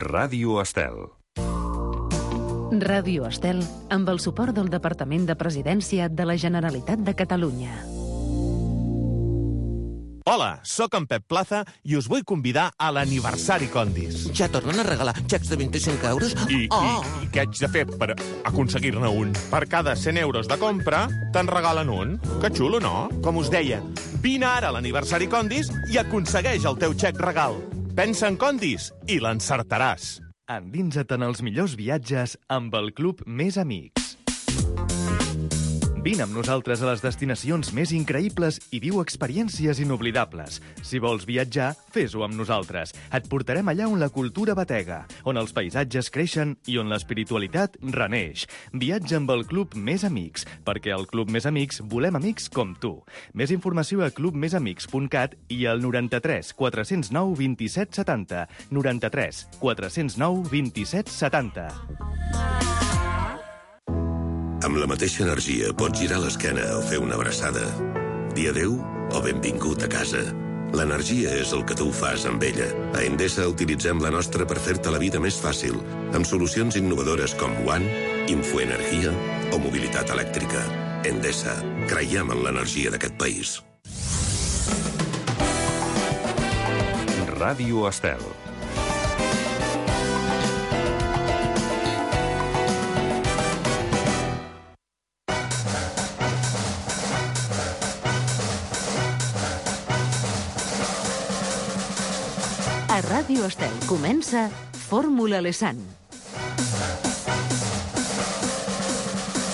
Ràdio Estel. Ràdio Estel, amb el suport del Departament de Presidència de la Generalitat de Catalunya. Hola, sóc en Pep Plaza i us vull convidar a l'aniversari Condis. Ja tornen a regalar xecs de 25 euros? I què haig de fer per aconseguir-ne un? Per cada 100 euros de compra, te'n regalen un. Que xulo, no? Com us deia, vine ara a l'aniversari Condis i aconsegueix el teu xec regal. Pensa en Condis i l'encertaràs. Endinsa't en els millors viatges amb el Club Més Amics. Vine amb nosaltres a les destinacions més increïbles i viu experiències inoblidables. Si vols viatjar, fes-ho amb nosaltres. Et portarem allà on la cultura batega, on els paisatges creixen i on l'espiritualitat reneix. Viatja amb el Club Més Amics, perquè al Club Més Amics volem amics com tu. Més informació a clubmesamics.cat i al 93 409 27 70. 93 409 27 70. Amb la mateixa energia pots girar l'esquena o fer una abraçada. Dir adéu o benvingut a casa. L'energia és el que tu fas amb ella. A Endesa utilitzem la nostra per fer-te la vida més fàcil, amb solucions innovadores com One, Infoenergia o mobilitat elèctrica. Endesa. Creiem en l'energia d'aquest país. Ràdio Estel. A Ràdio Estel comença Fórmula Lesan.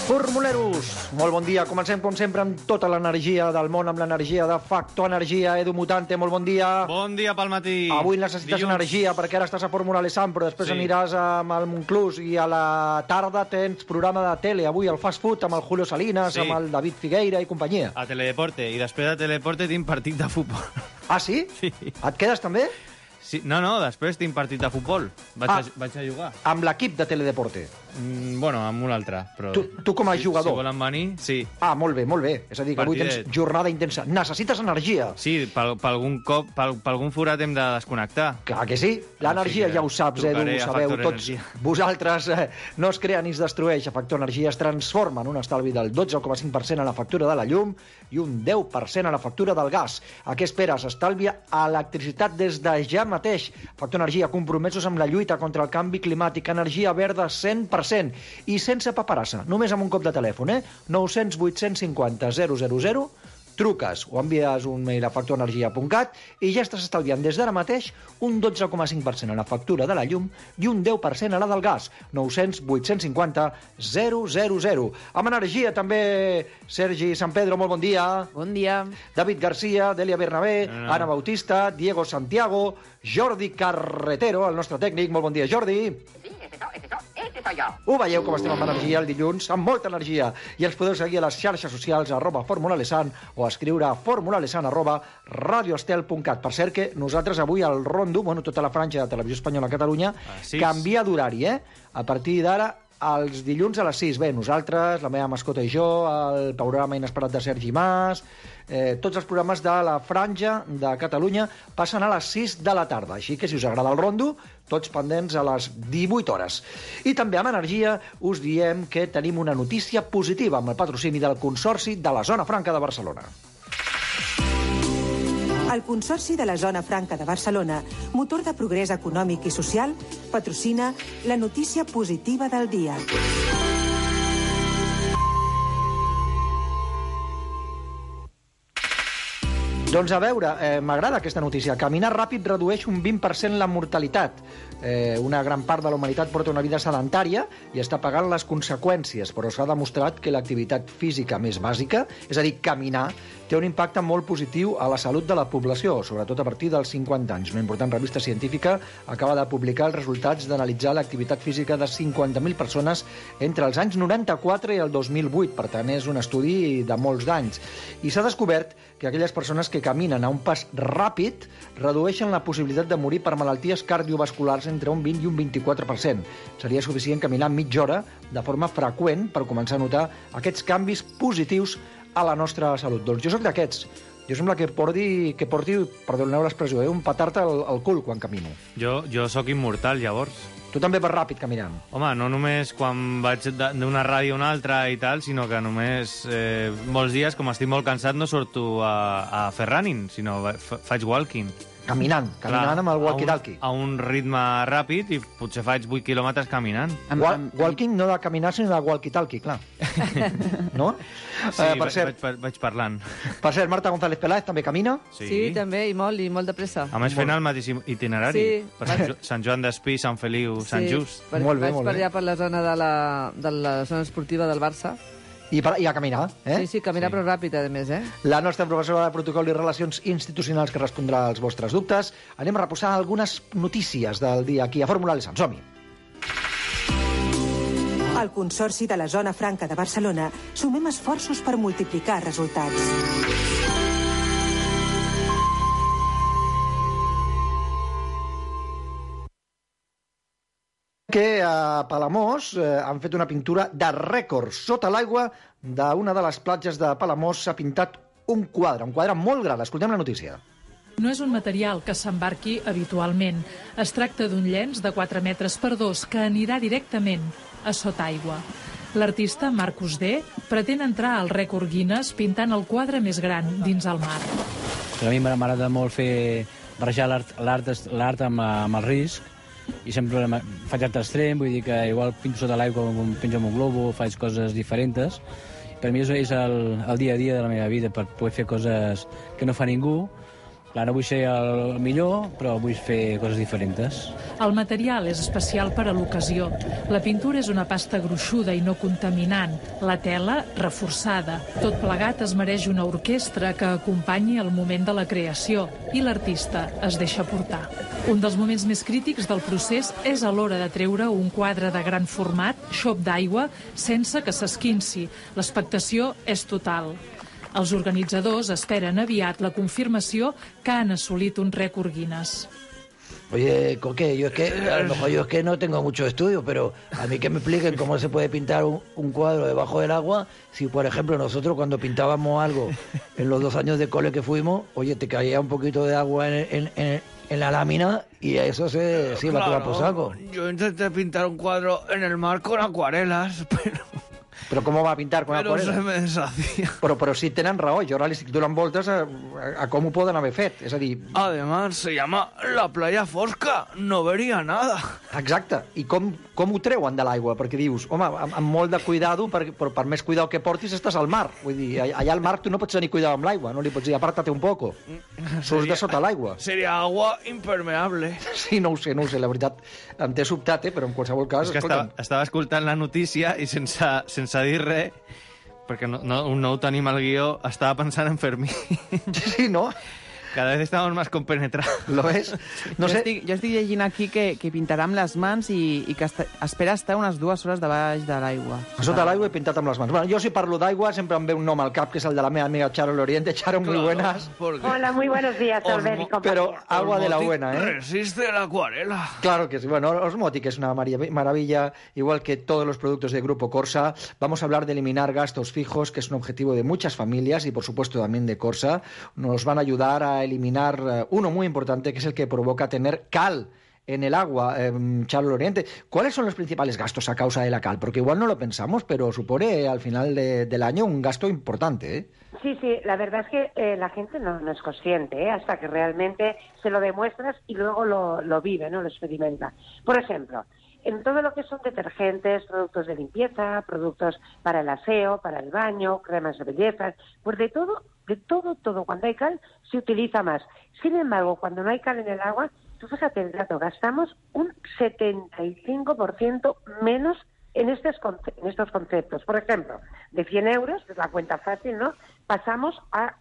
Formuleros, molt bon dia. Comencem, com sempre, amb tota l'energia del món, amb l'energia de Factor Energia. Edu Mutante, molt bon dia. Bon dia pel matí. Avui necessites energia, perquè ara estàs a Fórmula Lesan, però després aniràs amb el Monclús i a la tarda tens programa de tele. Avui el Fast Food amb el Julio Salinas, amb el David Figueira i companyia. A Teledeporte, i després de Teledeporte tinc partit de futbol. Ah, sí? Sí. Et quedes també? Sí, no, després tinc partit de futbol. Vaig a jugar. Amb l'equip de Teledeporte? Bueno, amb un altre. Però... Tu com a jugador? Si volen venir, sí. Ah, molt bé, molt bé. És a dir, que avui tens jornada intensa. Necessites energia. Sí, per algun forat hem de desconnectar. Clar que sí. L'energia, ja ho saps, Edu, ho sabeu tots. Vosaltres no es crea ni es destrueix. A Factor Energia es transforma en un estalvi del 12,5% a la factura de la llum i un 10% a la factura del gas. A què esperes? Estalvia electricitat des de ja mateix. Factor Energia, compromesos amb la lluita contra el canvi climàtic, energia verda 100%. I sense paperassa, només amb un cop de telèfon, 900 850 000, truques o envies un mail a factorenergia.cat i ja estàs estalviant des d'ara mateix un 12,5% a la factura de la llum i un 10% a la del gas. 900 850 000. Amb energia també Sergi San Pedro, molt bon dia. Bon dia. David Garcia, Delia Bernabé, Ana Bautista, Diego Santiago, Jordi Carretero, el nostre tècnic. Molt bon dia, Jordi. Sí, ese soy yo. Ho veieu com estem amb energia el dilluns? Amb molta energia. I ens podeu seguir a les xarxes socials @formulalesan o escriure a formulalesan@radioestel.cat. Per cert que nosaltres avui al Rondo, tota la franja de Televisió Espanyola a Catalunya, canvia d'horari, A partir d'ara, els dilluns a les 6. Bé, nosaltres, la meva mascota i jo, el programa inesperat de Sergi Mas, tots els programes de la franja de Catalunya passen a les 6 de la tarda. Així que si us agrada el Rondo, tots pendents a les 18 hores. I també amb energia us diem que tenim una notícia positiva amb el patrocini del Consorci de la Zona Franca de Barcelona. El Consorci de la Zona Franca de Barcelona, motor de progrés econòmic i social, patrocina la notícia positiva del dia. Doncs a veure, m'agrada aquesta notícia. Caminar ràpid redueix un 20% la mortalitat. Una gran part de la humanitat porta una vida sedentària i està pagant les conseqüències, però s'ha demostrat que l'activitat física més bàsica, és a dir, caminar, té un impacte molt positiu a la salut de la població, sobretot a partir dels 50 anys. Una important revista científica acaba de publicar els resultats d'analitzar l'activitat física de 50.000 persones entre els anys 94 i el 2008. Per tant, és un estudi de molts d'anys. I s'ha descobert que aquelles persones que caminen a un pas ràpid redueixen la possibilitat de morir per malalties cardiovasculars entre un 20 i un 24%. Seria suficient caminar mitja hora de forma freqüent per començar a notar aquests canvis positius a la nostra salut. Doncs jo sóc d'aquests. Jo sembla que porti, perdoneu l'expressió, un petard al cul quan camino. Jo sóc immortal, llavors. Tu també vas ràpid caminant. Home, no només quan vaig d'una ràdio a una altra i tal, sinó que només molts dies, com estic molt cansat, no surto a fer running, sinó faig walking. Caminant amb el walkie-talkie. A un ritme ràpid i potser faig 8 quilòmetres caminant. Walking no de caminar, sinó de walkie-talkie, clar. No? Sí, vaig parlant. Per cert, Marta González Peláez també camina? Sí, també, i molt de pressa. A més, fent el mateix itinerari. Per Sant Joan d'Espí, Sant Feliu, Sant Just. Molt bé, vaig per allà per la zona de la zona esportiva del Barça. I a caminar, eh? Sí, caminar però ràpid, a més, eh? La nostra professora de Protocol i Relacions Institucionals que respondrà als vostres dubtes. Anem a reposar algunes notícies del dia aquí a Fórmula Alessandro. Som-hi. Al Consorci de la Zona Franca de Barcelona sumem esforços per multiplicar resultats. Que a Palamós han fet una pintura de rècord. Sota l'aigua d'una de les platges de Palamós s'ha pintat un quadre molt gran. Escoltem la notícia. No és un material que s'embarqui habitualment. Es tracta d'un llenç de 4 metres per 2 que anirà directament a sota aigua. L'artista Marcus D. pretén entrar al rècord Guinness pintant el quadre més gran dins el mar. A mi m'agrada molt fer barrejar l'art amb el risc, i sempre faig art extrem, vull dir que igual pinto sota l'aigua, pinto amb un globo, faig coses diferents. Per mi és el dia a dia de la meva vida, per poder fer coses que no fa ningú. Clar, no vull ser el millor, però vull fer coses diferents. El material és especial per a l'ocasió. La pintura és una pasta gruixuda i no contaminant. La tela, reforçada. Tot plegat es mereix una orquestra que acompanyi el moment de la creació i l'artista es deixa portar. Un dels moments més crítics del procés és a l'hora de treure un quadre de gran format, xop d'aigua, sense que s'esquinci. L'expectació és total. Els organitzadors esperen aviat la confirmació que han assolit un rècord Guinness. Oye, Coque, a lo mejor yo es que no tengo mucho estudio, pero a mí que me expliquen cómo se puede pintar un cuadro debajo del agua, si por ejemplo nosotros cuando pintábamos algo en los 2 años de cole que fuimos, oye, te caía un poquito de agua en la lámina y eso se iba a tomar por saco. Yo intenté pintar un cuadro en el mar con acuarelas, Però com ho va pintar con acuarela? Però se me deshacía. Però sí tenen raó, jo ara li estic donant voltes a com ho poden haver fet, és a dir... Además, se llama la playa Fosca, no veria nada. Exacte, i com ho treuen de l'aigua? Perquè dius, home, amb molt de cuidado, però per més cuidado que portis estàs al mar. Vull dir, allà al mar tu no pots tenir cuidado amb l'aigua, no li pots dir, apártate un poco. Surts de sota l'aigua. Seria agua impermeable. Sí, no ho sé, la veritat, em té sobtat, però en qualsevol cas... És que estava escoltant la notícia i sense dir res, perquè no ho tenim al guió, estava pensant en Fermí. Sí, no? Cada vez estamos más compenetrados. ¿Lo ves? No sé. Jo estic llegint aquí que pintarà amb les mans i que espera estar unes 2 hores debaix de l'aigua. Sota l'aigua he pintat amb les mans. Bueno, jo si parlo d'aigua sempre em ve un nom al cap, que és el de la meva amiga Charo Loriente. Charo, muy buenas. Hola, muy buenos días, Albert y compañía. Pero agua de la buena, ¿eh? Resiste la acuarela. Claro que sí. Bueno, Osmotic es una maravilla, igual que todos los productos de Grupo Corsa. Vamos a hablar de eliminar gastos fijos, que es un objetivo de muchas familias y, por supuesto, también de Corsa. Nos van a ayudar a eliminar uno muy importante, que es el que provoca tener cal en el agua. Charo Loriente, ¿cuáles son los principales gastos a causa de la cal? Porque igual no lo pensamos, pero supone al final del año un gasto importante, ¿eh? Sí, la verdad es que la gente no es consciente, hasta que realmente se lo demuestras y luego lo vive, ¿no? Lo experimenta. Por ejemplo, en todo lo que son detergentes, productos de limpieza, productos para el aseo, para el baño, cremas de belleza, pues de todo, cuando hay cal se utiliza más. Sin embargo, cuando no hay cal en el agua, tú fíjate el dato, gastamos un 75% menos en estos conceptos. Por ejemplo, de 100 euros, que es la cuenta fácil, ¿no?, pasamos a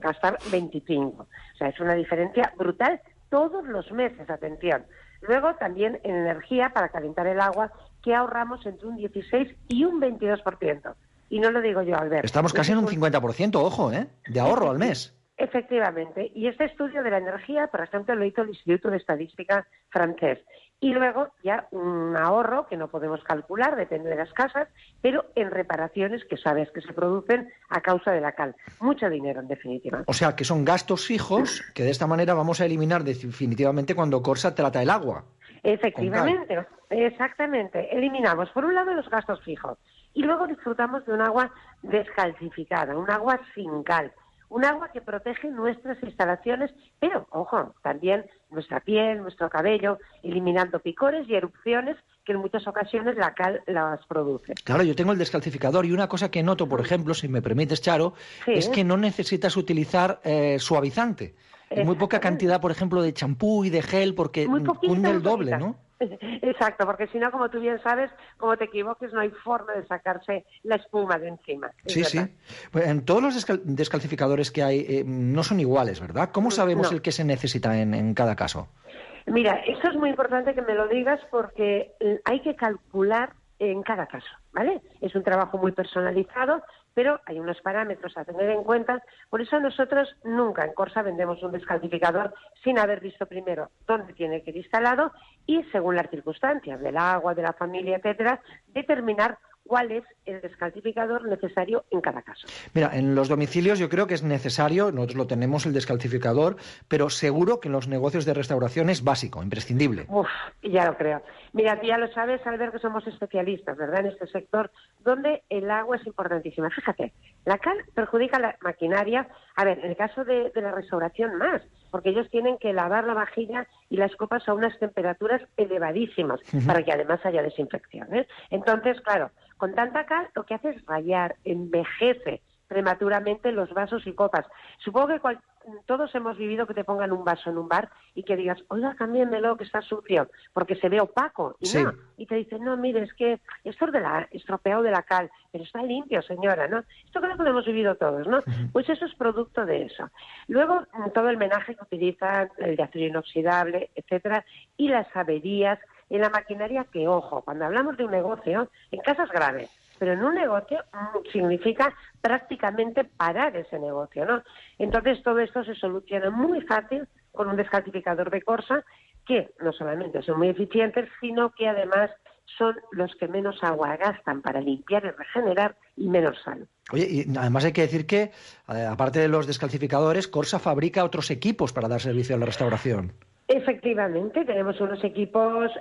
gastar 25. O sea, es una diferencia brutal todos los meses, atención. Luego también en energía para calentar el agua, que ahorramos entre un 16 y un 22%. Y no lo digo yo, Albert. Estamos casi en un 50%, ojo, de ahorro al mes. Efectivamente. Y este estudio de la energía, por ejemplo, lo hizo el Instituto de Estadística francés. Y luego ya un ahorro que no podemos calcular, depende de las casas, pero en reparaciones que sabes que se producen a causa de la cal. Mucho dinero, en definitiva. O sea, que son gastos fijos que de esta manera vamos a eliminar definitivamente cuando Corsa trata el agua. Efectivamente, exactamente. Eliminamos, por un lado, los gastos fijos y luego disfrutamos de un agua descalcificada, un agua sin cal. Un agua que protege nuestras instalaciones, pero, ojo, también nuestra piel, nuestro cabello, eliminando picores y erupciones que en muchas ocasiones la cal las produce. Claro, yo tengo el descalcificador y una cosa que noto, por ejemplo, si me permites, Charo, es que no necesitas utilizar suavizante. Muy poca cantidad, por ejemplo, de champú y de gel, porque hunde el doble, ¿no? Exacto, porque si no, como tú bien sabes, como te equivoques, no hay forma de sacarse la espuma de encima. Sí, sí. Pues en todos los descalcificadores que hay no son iguales, ¿verdad? ¿Cómo sabemos el que se necesita en cada caso? Mira, esto es muy importante que me lo digas porque hay que calcular en cada caso, ¿vale? Es un trabajo muy personalizado, pero hay unos parámetros a tener en cuenta. Por eso nosotros nunca en Corsa vendemos un descalcificador sin haber visto primero dónde tiene que ir instalado y, según las circunstancias del agua, de la familia, etcétera, determinar cuál es el descalcificador necesario en cada caso. Mira, en los domicilios yo creo que es necesario, nosotros lo tenemos, el descalcificador, pero seguro que en los negocios de restauración es básico, imprescindible. Ya lo creo. Mira, tú ya lo sabes, Albert, que somos especialistas, ¿verdad?, en este sector, donde el agua es importantísima. Fíjate, la cal perjudica la maquinaria. A ver, en el caso de la restauración más, porque ellos tienen que lavar la vajilla y las copas a unas temperaturas elevadísimas para que además haya desinfección, ¿eh? Entonces, claro, con tanta cal lo que hace es rayar, envejece prematuramente los vasos y copas. Supongo que todos hemos vivido que te pongan un vaso en un bar y que digas, oiga, cámbienmelo que está sucio, porque se ve opaco. Y no, y te dicen, no, mire, es que esto es estropeado de la cal, pero está limpio, señora, ¿no? Esto creo que lo hemos vivido todos, ¿no? Pues eso es producto de eso. Luego, todo el menaje que utilizan, el de acero inoxidable, etcétera, y las averías en la maquinaria que, ojo, cuando hablamos de un negocio, en casos graves, pero en un negocio significa prácticamente parar ese negocio, ¿no? Entonces todo esto se soluciona muy fácil con un descalcificador de Corsa que no solamente son muy eficientes, sino que además son los que menos agua gastan para limpiar y regenerar y menos sal. Oye, y además hay que decir que, aparte de los descalcificadores, Corsa fabrica otros equipos para dar servicio a la restauración. Efectivamente, tenemos unos equipos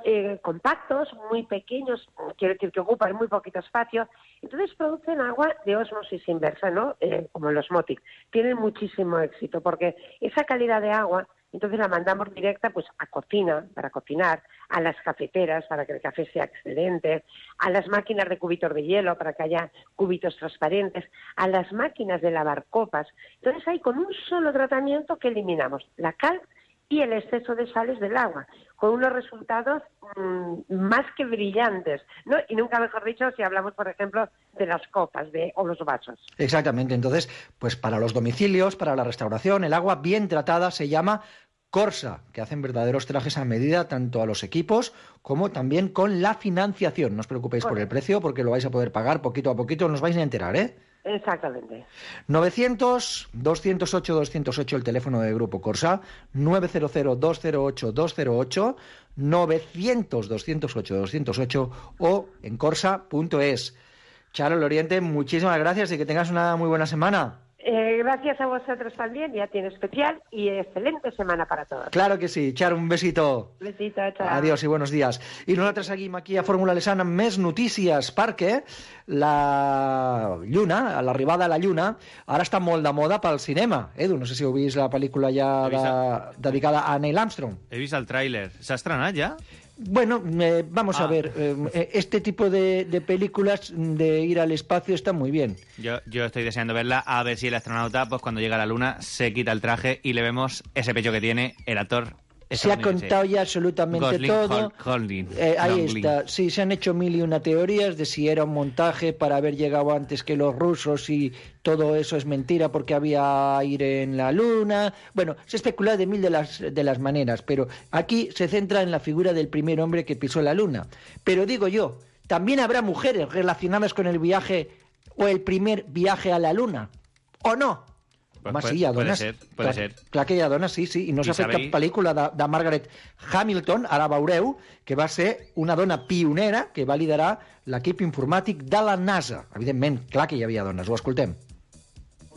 compactos, muy pequeños, quiero decir que ocupan muy poquito espacio, entonces producen agua de ósmosis inversa, ¿no? Como los Motic. Tienen muchísimo éxito porque esa calidad de agua, entonces la mandamos directa pues a cocina, para cocinar, a las cafeteras para que el café sea excelente, a las máquinas de cubitos de hielo para que haya cubitos transparentes, a las máquinas de lavar copas. Entonces ahí con un solo tratamiento que eliminamos la cal y el exceso de sales del agua, con unos resultados más que brillantes, ¿no? Y nunca mejor dicho si hablamos, por ejemplo, de las copas o los vasos. Exactamente. Entonces, pues para los domicilios, para la restauración, el agua bien tratada se llama Corsa, que hacen verdaderos trajes a medida tanto a los equipos como también con la financiación. No os preocupéis por el precio porque lo vais a poder pagar poquito a poquito, no os vais a enterar, ¿eh? Exactamente. 900-208-208 el teléfono del Grupo Corsa, 900-208-208, 900-208-208 o en corsa.es. Charo Loriente, muchísimas gracias y que tengas una muy buena semana. Gracias a vosotros también, ya tiene especial y excelente semana para todos. Claro que sí, Charo, un besito. Besito, chao. Adiós i buenos días. I nosaltres seguim aquí a Fórmula Lesana amb més notícies, perquè la Lluna, l'arribada a la Lluna, ara està molt de moda pel cinema. Edu, no sé si heu vist la pel·lícula ja dedicada a Neil Armstrong. He vist el tràiler. S'ha estrenat ja? Bueno, vamos a ver, este tipo de películas de ir al espacio está muy bien. Yo estoy deseando verla, a ver si el astronauta, pues cuando llega a la Luna, se quita el traje y le vemos ese pecho que tiene el actor. Se ha contado ya absolutamente Gosling, todo. Ahí Longling. está. Sí, se han hecho 1001 teorías de si era un montaje para haber llegado antes que los rusos y todo eso es mentira porque había aire en la Luna. Bueno, se especula de mil de las maneras, pero aquí se centra en la figura del primer hombre que pisó la Luna. Pero digo yo, también habrá mujeres relacionadas con el viaje o el primer viaje a la Luna, ¿o no? Home, sí, hi ha dones. Puede ser. Clar que hi ha dones, sí, i no s'ha fet cap pel·lícula de Margaret Hamilton, ara veureu, que va ser una dona pionera que va liderar l'equip informàtic de la NASA. Evidentment, clar que hi havia dones, ho escoltem.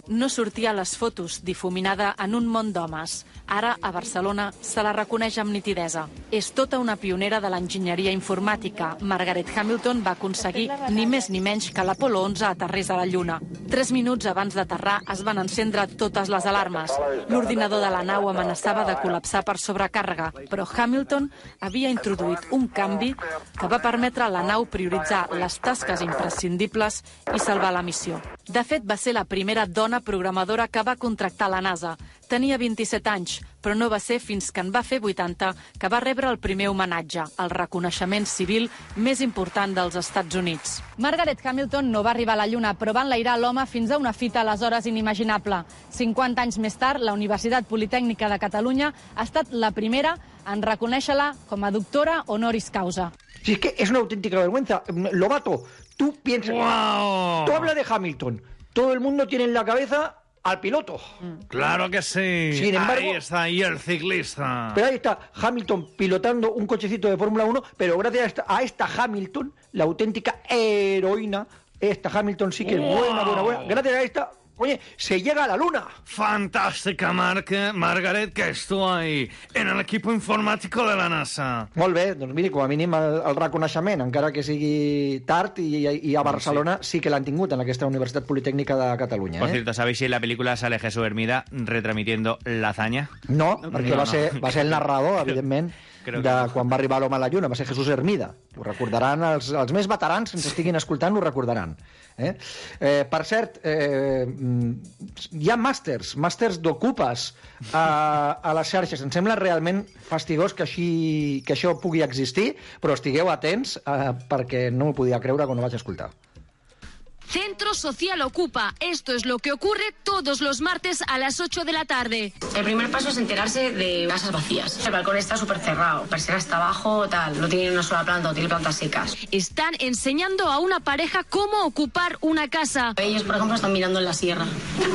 No sortia a les fotos, difuminada en un món d'homes. Ara, a Barcelona, se la reconeix amb nitidesa. És tota una pionera de l'enginyeria informàtica. Margaret Hamilton va aconseguir ni més ni menys que l'Apolo 11 aterrés a la Lluna. 3 minuts abans d'aterrar es van encendre totes les alarmes. L'ordinador de la nau amenaçava de col·lapsar per sobrecàrrega, però Hamilton havia introduït un canvi que va permetre a la nau prioritzar les tasques imprescindibles i salvar la missió. De fet, va ser la primera dona programadora que va contractar la NASA. Tenia 27 anys, però no va ser fins que en va fer 80 que va rebre el primer homenatge, el reconeixement civil més important dels Estats Units. Margaret Hamilton no va arribar a la Lluna, però va enlairar l'home fins a una fita aleshores inimaginable. 50 anys més tard, la Universitat Politècnica de Catalunya ha estat la primera en reconèixer-la com a doctora honoris causa. Sí, es que es una auténtica vergüenza. Lobato, tú piensas... ¡Wow! Tú hablas de Hamilton. Todo el mundo tiene en la cabeza al piloto. Claro que sí. Sin embargo, ahí está, y el ciclista. Pero ahí está Hamilton pilotando un cochecito de Fórmula 1, pero gracias a esta Hamilton, la auténtica heroína, esta Hamilton sí que es buena. Gracias a esta, oye, se llega a la Luna. Fantástica, Margaret, que estuvo ahí, en el equipo informático de la NASA. Molt bé, doncs miri, com a mínim el reconeixement, encara que sigui tard, i a Barcelona sí que l'han tingut en aquesta Universitat Politècnica de Catalunya. Por cierto, ¿sabéis si en la película sale Jesús Hermida retransmitiendo la hazaña? No, perquè va ser el narrador, evidentment, de quan va arribar l'home a la Lluna, va ser Jesús Hermida. Ho recordaran, els més veterans, si ens estiguin escoltant, ho recordaran. Per cert, hi ha màsters d'ocupes a les xarxes. Em sembla realment fastigós que això pugui existir, però estigueu atents perquè no m'ho podia creure quan ho vaig escoltar. Centro Social Ocupa. Esto es lo que ocurre todos los martes a las 8 de la tarde. El primer paso es enterarse de casas vacías. El balcón está súper cerrado, persiana está abajo, tal, no tiene una sola planta, no tiene plantas secas. Están enseñando a una pareja cómo ocupar una casa. Ellos, por ejemplo, están mirando en la sierra.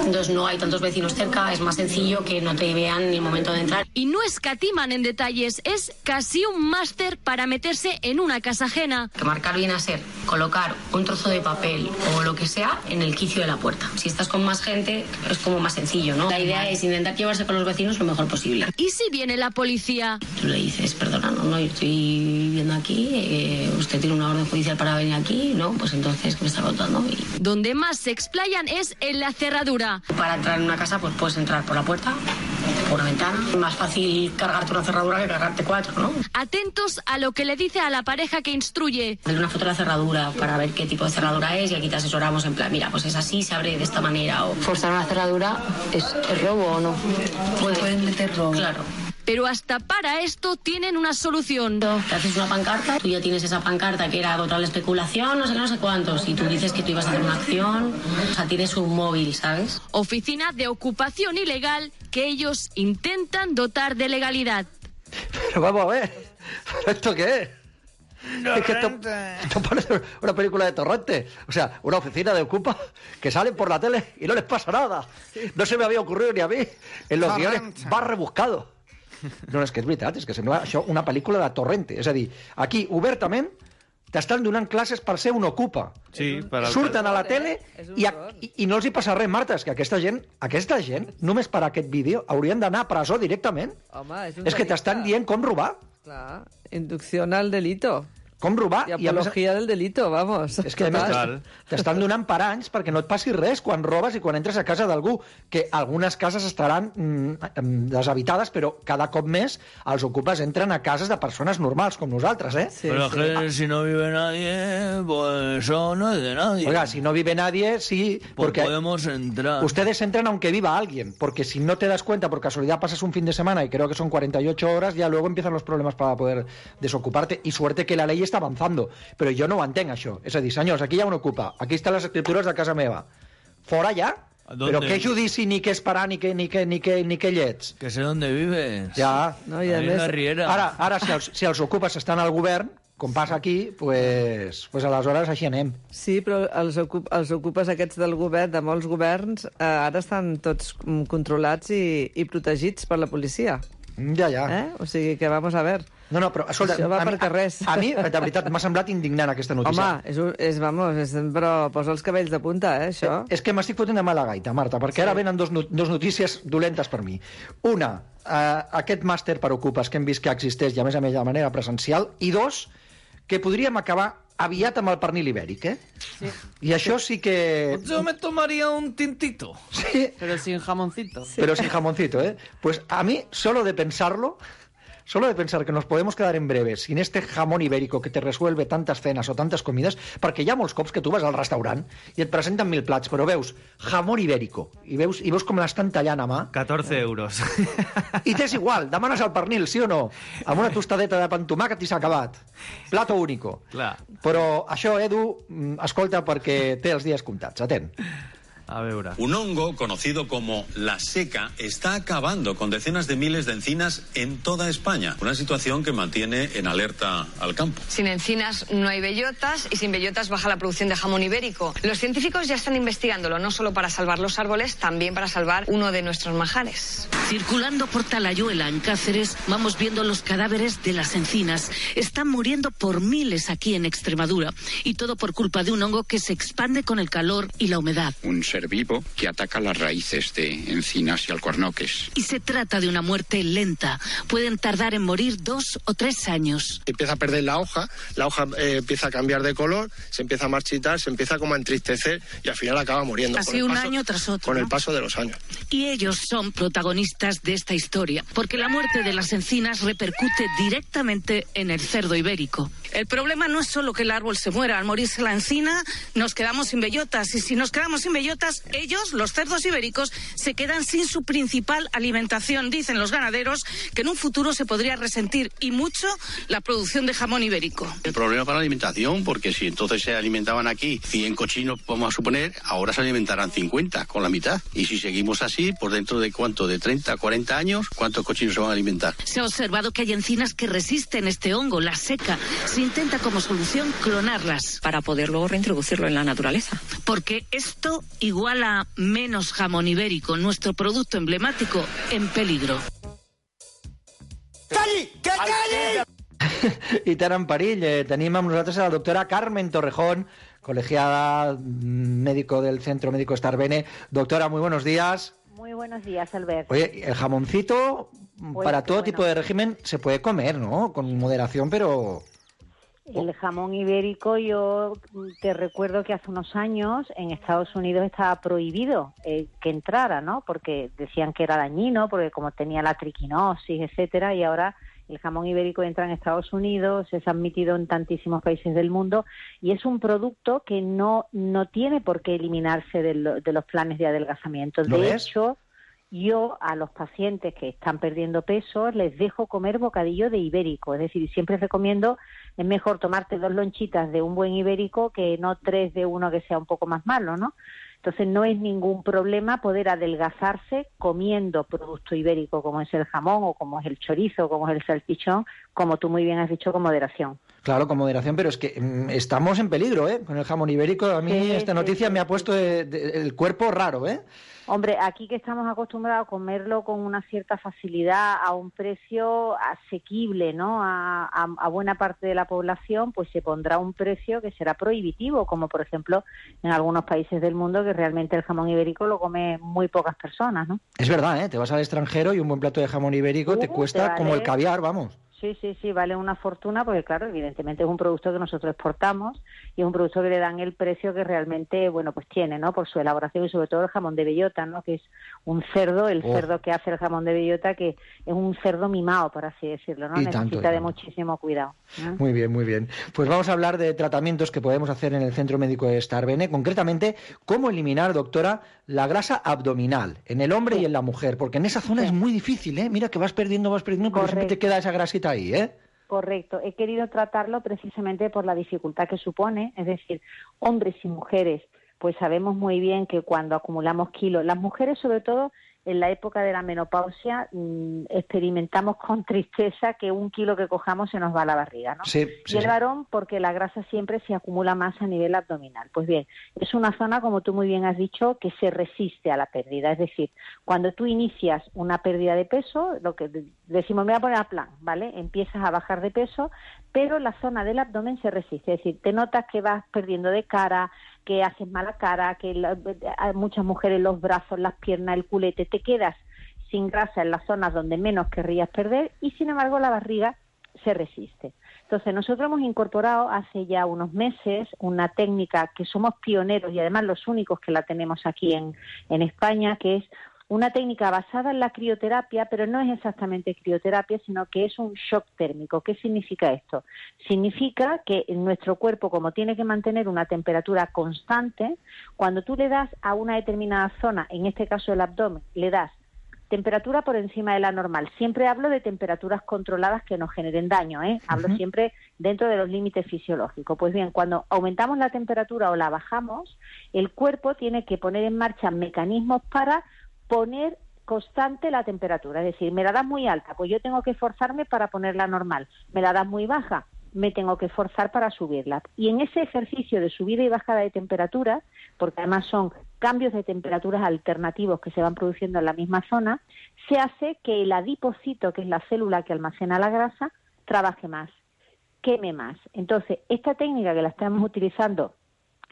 Entonces no hay tantos vecinos cerca, es más sencillo que no te vean ni el momento de entrar. Y no escatiman en detalles, es casi un máster para meterse en una casa ajena. Que marcar viene a ser colocar un trozo de papel o lo que sea en el quicio de la puerta. Si estás con más gente, es como más sencillo, ¿no? La idea es intentar llevarse con los vecinos lo mejor posible. ¿Y si viene la policía? Tú le dices, perdona, no, yo estoy viviendo aquí, usted tiene una orden judicial para venir aquí, ¿no? Pues entonces, ¿qué me está contando? Donde más se explayan es en la cerradura. Para entrar en una casa, pues puedes entrar por la puerta, por una ventana. Es más fácil cargarte una cerradura que cargarte 4, ¿no? Atentos a lo que le dice a la pareja que instruye. Dale una foto de la cerradura para ver qué tipo de cerradura es y aquí te asesoramos en plan, mira, pues es así, se abre de esta manera. O forzar una cerradura, ¿es robo o no? Pueden meter robo. Claro. Pero hasta para esto tienen una solución. Te haces una pancarta, tú ya tienes esa pancarta que era contra la especulación, no sé cuántos, y tú dices que tú ibas a hacer una acción, o sea, tienes un móvil, ¿sabes? Oficina de ocupación ilegal que ellos intentan dotar de legalidad. Pero vamos a ver, ¿esto qué es? Es que esto parece una película de Torrente. O sea, una oficina de ocupa que salen por la tele y no les pasa nada. No se me había ocurrido ni a mí. En los guiones va rebuscado. No, és que és veritat, és que sembla això una pel·lícula de Torrente. És a dir, aquí, obertament, t'estan donant classes per ser un ocupa. Sí, surten a la tele i no els hi passa res, Marta. És que aquesta gent, només per aquest vídeo, haurien d'anar a presó directament. Home, és que t'estan dient com robar. Clar, inducción al delito. Com robar i apologia del delito, vamos. És que a més t'estan donant per anys perquè no et passi res quan robes i quan entres a casa d'algú, que algunes cases estaran deshabitades, però cada cop més els ocupes entren a cases de persones normals com nosaltres, ¿eh? Sí, pero sí. Que si no vive nadie, pues eso no es de nadie. Oiga, si no vive nadie, sí, pues porque podemos entrar. Ustedes entran aunque viva alguien, porque si no te das cuenta, por casualidad pasas un fin de semana y creo que son 48 horas, ya luego empiezan los problemas para poder desocuparte, y suerte que la ley està avançant, però jo no ho entenc, això. És a dir, senyors, aquí hi ha un ocupa, aquí estan les escriptures de casa meva. Fora ja? Però què judici, ni què esperar, ni què llets? Que sé dónde vives. Ja. No, i a més... Ara, si els ocupes estan al govern, com passa aquí, pues aleshores així anem. Sí, però els ocupes aquests del govern, de molts governs, ara estan tots controlats i protegits per la policia. Ja. O sigui que vamos a ver. No, però escolta, això va per carrers. A mi, de veritat, m'ha semblat indignant aquesta notícia. Home, però posa els cabells de punta, això. És que m'estic fotent de mala gaita, Marta, perquè ara venen dos notícies dolentes per mi. Una, aquest màster per ocupes que hem vist que existeix i a més de manera presencial, i dos, que podríem acabar aviat amb el pernil ibèric, Sí. I això sí que... Yo me tomaría un tintito. Sí. Pero sin jamoncito. Pero sin jamoncito, Pues a mí, solo de pensar que nos podemos quedar en breve sin este jamón ibérico que te resuelve tantes cenes o tantes comides, perquè hi ha molts cops que tu vas al restaurant i et presenten 1000 plats, però veus jamón ibérico i veus com l'estan tallant a mà. 14 euros. I t'és igual, demanes el pernil, sí o no? Amb una tostadeta de pa amb tomàquet i s'ha acabat. Plato único. Clar. Però això, Edu, escolta, perquè té els dies comptats. Atent. A veure. Un hongo conocido como la seca está acabando con decenas de miles de encinas en toda España. Una situación que mantiene en alerta al campo. Sin encinas no hay bellotas y sin bellotas baja la producción de jamón ibérico. Los científicos ya están investigándolo, no solo para salvar los árboles, también para salvar uno de nuestros manjares. Circulando por Talayuela, en Cáceres, vamos viendo los cadáveres de las encinas. Están muriendo por miles aquí en Extremadura. Y todo por culpa de un hongo que se expande con el calor y la humedad. Un ser vivo que ataca las raíces de encinas y alcornoques. Y se trata de una muerte lenta. Pueden tardar en morir 2 o 3 años. Empieza a perder la hoja empieza a cambiar de color, se empieza a marchitar, se empieza como a entristecer y al final acaba muriendo. Así un año tras otro. Con el paso de los años. Y ellos son protagonistas de esta historia, porque la muerte de las encinas repercute directamente en el cerdo ibérico. El problema no es solo que el árbol se muera. Al morirse la encina, nos quedamos sin bellotas. Y si nos quedamos sin bellotas, ellos, los cerdos ibéricos, se quedan sin su principal alimentación. Dicen los ganaderos que en un futuro se podría resentir, y mucho, la producción de jamón ibérico. El problema para la alimentación, porque si entonces se alimentaban aquí 100 cochinos, vamos a suponer, ahora se alimentarán 50, con la mitad. Y si seguimos así, por dentro de ¿cuánto? De 30, 40 años, ¿cuántos cochinos se van a alimentar? Se ha observado que hay encinas que resisten este hongo, la seca. Se intenta como solución clonarlas. Para poder luego reintroducirlo en la naturaleza. Porque esto iguala menos jamón ibérico, nuestro producto emblemático, en peligro. ¡Calli! ¡Que calli! I tant en perill. Tenim amb nosaltres a la doctora Carmen Torrejón, colegiada médico del Centro Médico Starbene. Doctora, muy buenos días. Muy buenos días, Albert. Oye, el jamoncito para todo tipo de régimen se puede comer, ¿no? Con moderación, pero... El jamón ibérico, yo te recuerdo que hace unos años en Estados Unidos estaba prohibido que entrara, ¿no? Porque decían que era dañino, porque como tenía la triquinosis, etcétera, y ahora el jamón ibérico entra en Estados Unidos, es admitido en tantísimos países del mundo, y es un producto que no tiene por qué eliminarse de los planes de adelgazamiento. De hecho, yo a los pacientes que están perdiendo peso les dejo comer bocadillo de ibérico, es decir, siempre recomiendo, es mejor tomarte 2 lonchitas de un buen ibérico que no 3 de uno que sea un poco más malo, ¿no? Entonces no es ningún problema poder adelgazarse comiendo producto ibérico como es el jamón o como es el chorizo, como es el salchichón, como tú muy bien has dicho, con moderación. Claro, con moderación, pero es que estamos en peligro, con el jamón ibérico. A mí esta noticia me ha puesto el cuerpo raro, Hombre, aquí que estamos acostumbrados a comerlo con una cierta facilidad, a un precio asequible, ¿no? A buena parte de la población, pues se pondrá un precio que será prohibitivo, como por ejemplo en algunos países del mundo que realmente el jamón ibérico lo come muy pocas personas, ¿no? Es verdad, te vas al extranjero y un buen plato de jamón ibérico te cuesta como el caviar, vamos. Sí, vale una fortuna porque, claro, evidentemente es un producto que nosotros exportamos y es un producto que le dan el precio que realmente, bueno, pues tiene, ¿no? Por su elaboración y sobre todo el jamón de bellota, ¿no? Que es un cerdo, cerdo que hace el jamón de bellota, que es un cerdo mimado, por así decirlo, ¿no? Necesita de muchísimo cuidado, ¿no? Muy bien, muy bien. Pues vamos a hablar de tratamientos que podemos hacer en el Centro Médico de Starbene, concretamente, cómo eliminar, doctora, la grasa abdominal en el hombre y en la mujer, porque en esa zona es muy difícil, Mira que vas perdiendo, pero siempre te queda esa grasita ahí, Correcto. He querido tratarlo precisamente por la dificultad que supone, es decir, hombres y mujeres, pues sabemos muy bien que cuando acumulamos kilos, las mujeres sobre todo en la época de la menopausia experimentamos con tristeza que 1 kilo que cojamos se nos va a la barriga, ¿no? Sí, y el varón, porque la grasa siempre se acumula más a nivel abdominal. Pues bien, es una zona, como tú muy bien has dicho, que se resiste a la pérdida. Es decir, cuando tú inicias una pérdida de peso, lo que decimos, me voy a poner a plan, ¿vale? Empiezas a bajar de peso, pero la zona del abdomen se resiste. Es decir, te notas que vas perdiendo de cara, que haces mala cara, que hay muchas mujeres los brazos, las piernas, el culete, te quedas sin grasa en las zonas donde menos querrías perder y sin embargo la barriga se resiste. Entonces nosotros hemos incorporado hace ya unos meses una técnica que somos pioneros y además los únicos que la tenemos aquí en España, que es una técnica basada en la crioterapia, pero no es exactamente crioterapia, sino que es un shock térmico. ¿Qué significa esto? Significa que nuestro cuerpo, como tiene que mantener una temperatura constante, cuando tú le das a una determinada zona, en este caso el abdomen, le das temperatura por encima de la normal. Siempre hablo de temperaturas controladas que no generen daño, ¿eh? Hablo siempre dentro de los límites fisiológicos. Pues bien, cuando aumentamos la temperatura o la bajamos, el cuerpo tiene que poner en marcha mecanismos para poner constante la temperatura. Es decir, me la das muy alta, pues yo tengo que esforzarme para ponerla normal. Me la das muy baja, me tengo que esforzar para subirla. Y en ese ejercicio de subida y bajada de temperatura, porque además son cambios de temperaturas alternativos que se van produciendo en la misma zona, se hace que el adipocito, que es la célula que almacena la grasa, trabaje más, queme más. Entonces, esta técnica que la estamos utilizando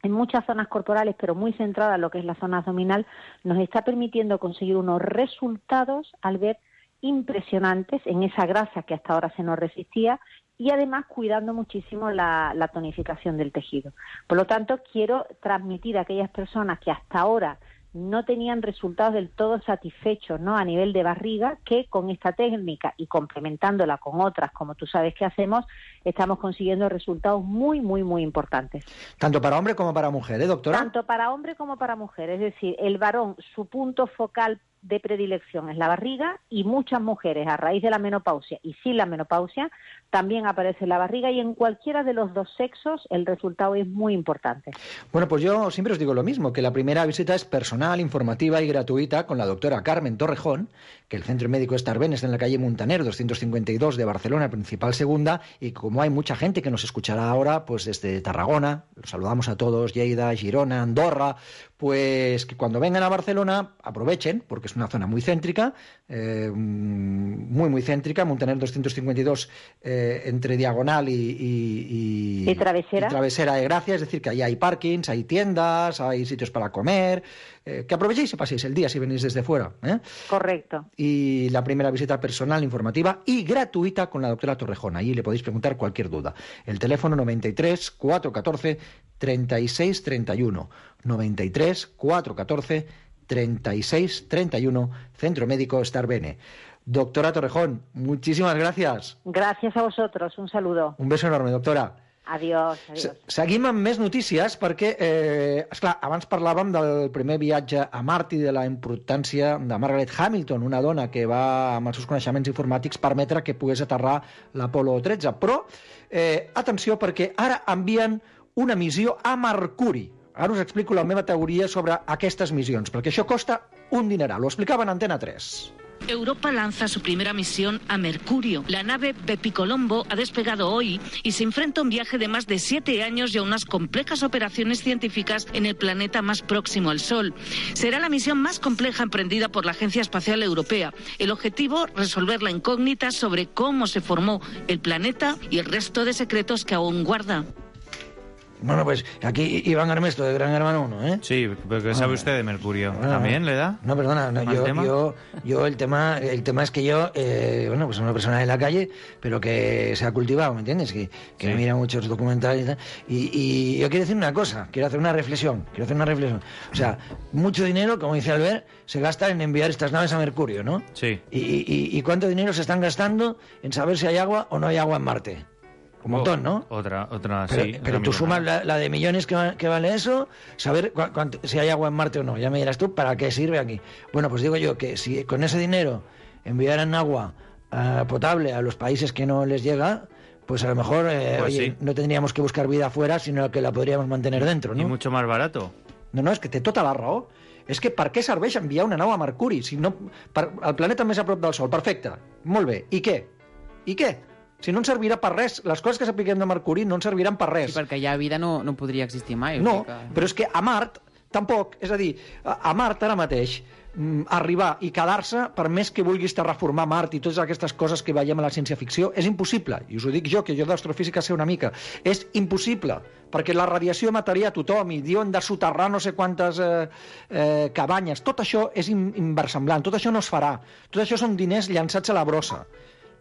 en muchas zonas corporales, pero muy centrada en lo que es la zona abdominal, nos está permitiendo conseguir unos resultados, al ver, impresionantes en esa grasa que hasta ahora se nos resistía y además cuidando muchísimo la tonificación del tejido. Por lo tanto, quiero transmitir a aquellas personas que hasta ahora no tenían resultados del todo satisfechos, ¿no?, a nivel de barriga, que con esta técnica y complementándola con otras, como tú sabes que hacemos, estamos consiguiendo resultados muy, muy, muy importantes. Tanto para hombre como para mujer, ¿eh, doctora? Tanto para hombre como para mujer. Es decir, el varón, su punto focal de predilección es la barriga, y muchas mujeres a raíz de la menopausia y sin la menopausia también aparece la barriga, y en cualquiera de los dos sexos el resultado es muy importante. Bueno, pues yo siempre os digo lo mismo, que la primera visita es personal, informativa y gratuita con la doctora Carmen Torrejón, que el Centro Médico Starbene está en la calle Muntaner 252 de Barcelona, principal segunda, y como hay mucha gente que nos escuchará ahora, pues desde Tarragona, los saludamos a todos, Lleida, Girona, Andorra, pues que cuando vengan a Barcelona aprovechen, porque es una zona muy céntrica, muy céntrica, Muntaner 252 entre Diagonal y Travesera. Y Travesera de Gracia, es decir, que ahí hay parkings, hay tiendas, hay sitios para comer, que aprovechéis y paséis el día si venís desde fuera. Correcto. Y la primera visita personal, informativa y gratuita con la doctora Torrejón. Allí le podéis preguntar cualquier duda. El teléfono 93 414 36 31. 93 414 36 31, Centro Médico Starbene. Doctora Torrejón, muchísimas gracias. Gràcies a vosotros, un saludo. Un beso enorme, doctora. Adiós, adiós. Seguim amb més notícies perquè, esclar, abans parlàvem del primer viatge a Mart i de la importància de Margaret Hamilton, una dona que va, amb els seus coneixements informàtics, permetre que pogués aterrar l'Apolo 13. Però, atenció, perquè ara envien una missió a Mercuri. Ara us explico la meva teoria sobre aquestes missions, perquè això costa un dineral. Ho explicava en Antena 3. Europa lanza su primera misión a Mercurio. La nave Bepicolombo ha despegado hoy y se enfrenta a un viaje de más de 7 años y a unas complejas operaciones científicas en el planeta más próximo al Sol. Será la misión más compleja emprendida por la Agencia Espacial Europea. El objetivo, resolver la incógnita sobre cómo se formó el planeta y el resto de secretos que aún guarda. Bueno, pues aquí Iván Armesto, de Gran Hermano 1, ¿eh? Sí, pero ¿qué sabe usted de Mercurio? ¿También le da? No, perdona, no, yo el tema es que yo, bueno, pues soy una persona de la calle, pero que se ha cultivado, ¿me entiendes? Que sí. Mira muchos documentales y tal. Y yo quiero decir una cosa, quiero hacer una reflexión. O sea, mucho dinero, como dice Albert, se gasta en enviar estas naves a Mercurio, ¿no? Sí. ¿Y cuánto dinero se están gastando en saber si hay agua o no hay agua en Marte? Un montón, ¿no? Otra, sí. Pero tú sumas la de millones que vale eso, saber si hay agua en Marte o no. Ya me dirás tú, ¿para qué sirve aquí? Bueno, pues digo yo que si con ese dinero enviaran agua potable a los países que no les llega, pues a lo mejor no tendríamos que buscar vida afuera, sino que la podríamos mantener dentro, ¿no? Y mucho más barato. No, és que té tota la raó. És que per què serveix enviar una nau a Mercuri? Si no, el planeta més a prop del Sol, perfecte, molt bé. I què? Si no ens servirà per res. Les coses que s'apliquem de Mercuri no ens serviran per res. Sí, perquè ja vida no podria existir mai. No, però és que a Mart tampoc. És a dir, a Mart ara mateix arribar i quedar-se, per més que vulguis terraformar Mart i totes aquestes coses que veiem a la ciència-ficció, és impossible. I us ho dic jo, que jo d'astrofísica sé una mica. És impossible, perquè la radiació mataria a tothom i diuen de soterrar no sé quantes cabanyes. Tot això és inversemblant, tot això no es farà. Tot això són diners llançats a la brossa.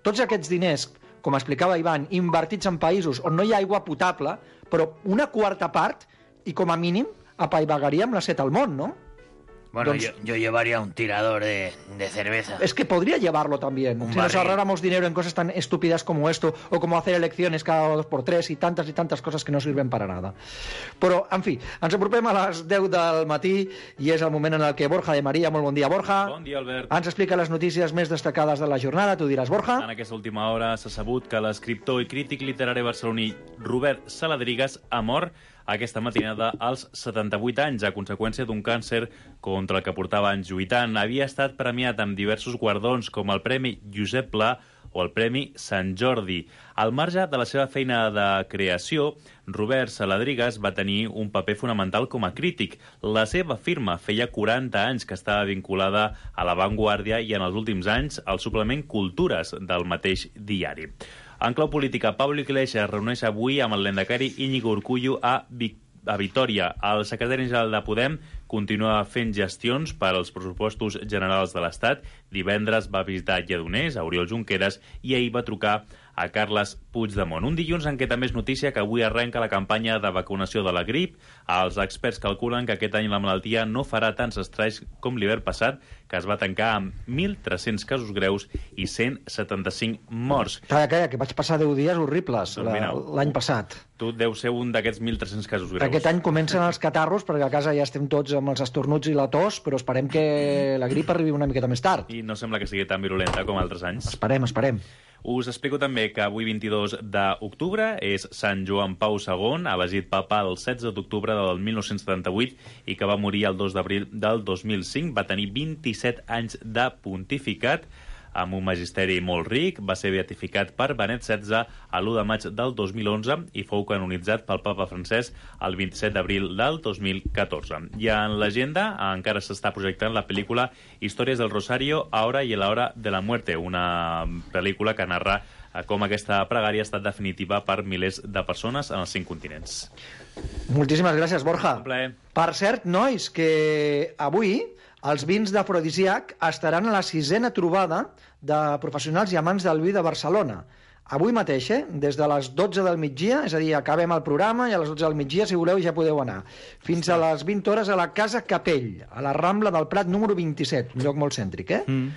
Tots aquests diners, com explicava Ivan, invertits en països on no hi ha aigua potable, però una quarta part, i com a mínim, apaivagaríem la set al món, ¿no? Bueno, yo llevaría un tirador de cerveza. Es que podría llevarlo también. Si nos ahorráramos dinero en cosas tan estúpidas como esto, o como hacer elecciones cada 2x3 y tantas cosas que no sirven para nada. Però, en fi, ens apropem a les 10 del matí i és el moment en el que Borja de Maria, molt bon dia, Borja. Bon dia, Albert. Ens explica les notícies més destacades de la jornada. Tu diràs, Borja. En aquesta última hora s'ha sabut que l'escriptor i crític literari barceloní Robert Saladrigas ha mort aquesta matinada als 78 anys a conseqüència d'un càncer contra el que portava anys lluitant. Havia estat premiat amb diversos guardons com el Premi Josep Pla o el Premi Sant Jordi. Al marge de la seva feina de creació, Robert Saladrigas va tenir un paper fonamental com a crític. La seva firma feia 40 anys que estava vinculada a La Vanguardia i en els últims anys al suplement Cultures del mateix diari. En clau política, Pablo Iglesias reuneix avui amb el lehendakari Íñigo Urkullu a Vitoria. El secretari general de Podem continua fent gestions per als pressupostos generals de l'Estat. Divendres va visitar Lledoners, a Oriol Junqueras, i ahir va trucar a Carles Puigdemont. Un dilluns en què també és notícia que avui arrenca la campanya de vacunació de la grip. Els experts calculen que aquest any la malaltia no farà tants estralls com l'hivern passat, que es va tancar amb 1.300 casos greus i 175 morts. Calla, que vaig passar 10 dies horribles l'any passat. Tu deus ser un d'aquests 1.300 casos greus. Aquest any comencen els catarros, perquè a casa ja estem tots amb els estornuts i la tos, però esperem que la grip arribi una miqueta més tard. I no sembla que sigui tan virulenta com altres anys. Esperem. Us explico també que avui, 22 d'octubre, és Sant Joan Pau II, elegit papa el 16 d'octubre del 1978 i que va morir el 2 d'abril del 2005. Va tenir 27 anys de pontificat, amb un magisteri molt ric. Va ser beatificat per Benet XVI a l'1 de maig del 2011 i fou canonitzat pel papa francès el 27 d'abril del 2014. I en l'agenda encara s'està projectant la pel·lícula Històries del Rosario, Ahora y la hora de la muerte, una pel·lícula que narra com aquesta pregària ha estat definitiva per milers de persones en els 5 continents. Moltíssimes gràcies, Borja. Un plaer. Per cert, nois, que avui els vins d'afrodisíac estaran a la 6a trobada de professionals i amants del vi de Barcelona. Avui mateix, des de les 12 del migdia, és a dir, acabem el programa i a les 12 del migdia, si voleu, ja podeu anar. Fins a les 20 hores a la Casa Capell, a la Rambla del Prat número 27, un lloc molt cèntric,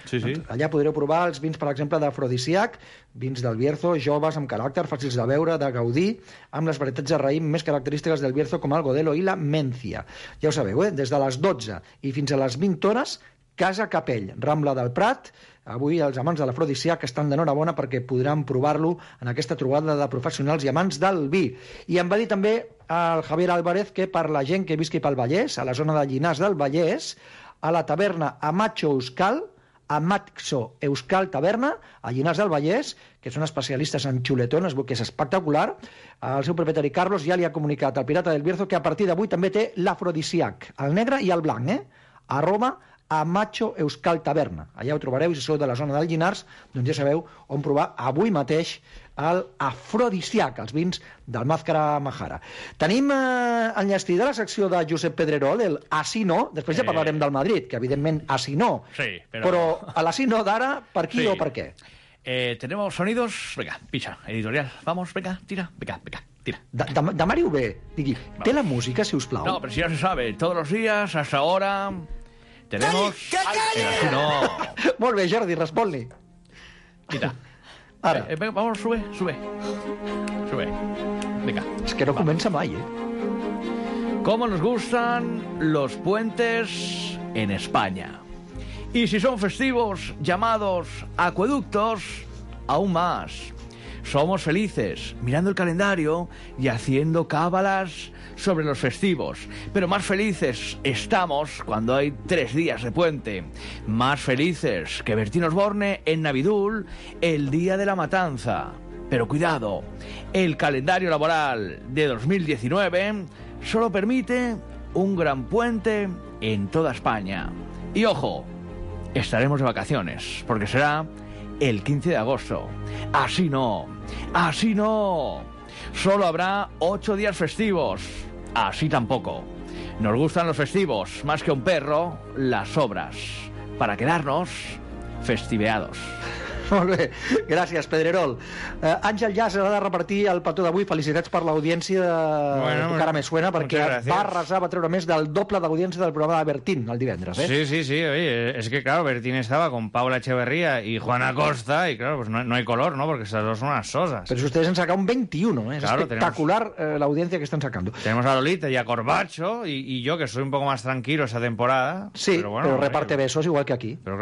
Sí. Allà podreu provar els vins, per exemple, d'afrodisíac, vins del Bierzo, joves, amb caràcter, fàcils de beure, de gaudir, amb les varietats de raïm més característiques del Bierzo, com el Godelo i la Mencia. Ja ho sabeu, des de les 12 i fins a les 20 hores, Casa Capell, Rambla del Prat. Avui els amants de l'afrodisíac estan d'enhorabona perquè podran provar-lo en aquesta trobada de professionals i amants del vi. I em va dir també el Javier Álvarez que per la gent que visqui pel Vallès, a la zona de Llinars del Vallès, a la taverna Amacho Euskal Taverna, a Llinars del Vallès, que són especialistes en xuletón, que és espectacular. El seu propietari Carlos ja li ha comunicat al Pirata del Bierzo que a partir d'avui també té l'afrodisíac, el negre i el blanc, @Amacho Euskal Taverna. Allà ho trobareu, si sou de la zona del Llinars, doncs ja sabeu on provar avui mateix el afrodisíac, els vins del Màzcara Majara. Tenim enllestí de la secció de Josep Pedrerol, el Así no, després ja parlarem del Madrid, que evidentment Así no, sí, però a l'Así no d'ara, per qui o per què? Tenemos sonidos, venga, picha, editorial, vamos, venga, tira, venga, tira. Demari-ho bé, digui, té la música, si us plau? No, pero si ya se sabe, todos los días, hasta ahora... Tenemos... ¡Calla! No. Molt bé, Jordi, respon-li. Mira. Ara. Vamos, sube. Venga. Es que no comença mai, ¿Cómo nos gustan los puentes en España? Y si son festivos llamados acueductos, aún más. somos felices mirando el calendario y haciendo cábalas sobre los festivos. Pero más felices estamos cuando hay 3 días de puente. Más felices que Bertín Osborne en Navidul el día de la matanza. Pero cuidado, el calendario laboral de 2019 solo permite un gran puente en toda España. Y ojo, estaremos de vacaciones, porque será el 15 de agosto. Así no, así no. Solo habrá 8 días festivos. Así tampoco. Nos gustan los festivos, más que un perro, las obras. Para quedarnos festiveados. Molt bé, gràcies, Pedrerol. Àngel ja s'ha de repartir el petó d'avui. Felicitats per l'audiència de Tu cara me suena, perquè va arrasar, va treure més del doble d'audiència del programa de Bertín el divendres. Sí, oye, es que claro, Bertín estaba con Paula Echeverría y Juana Costa y claro, pues no hay color, ¿no? Porque esas dos son unas sosas. Pero si ustedes han sacado un 21, es claro, espectacular la audiencia que están sacando. Tenemos a Lolita y a Corbacho y yo, que soy un poco más tranquilo esa temporada. Sí, pero, bueno, pero reparte besos igual que aquí. Pero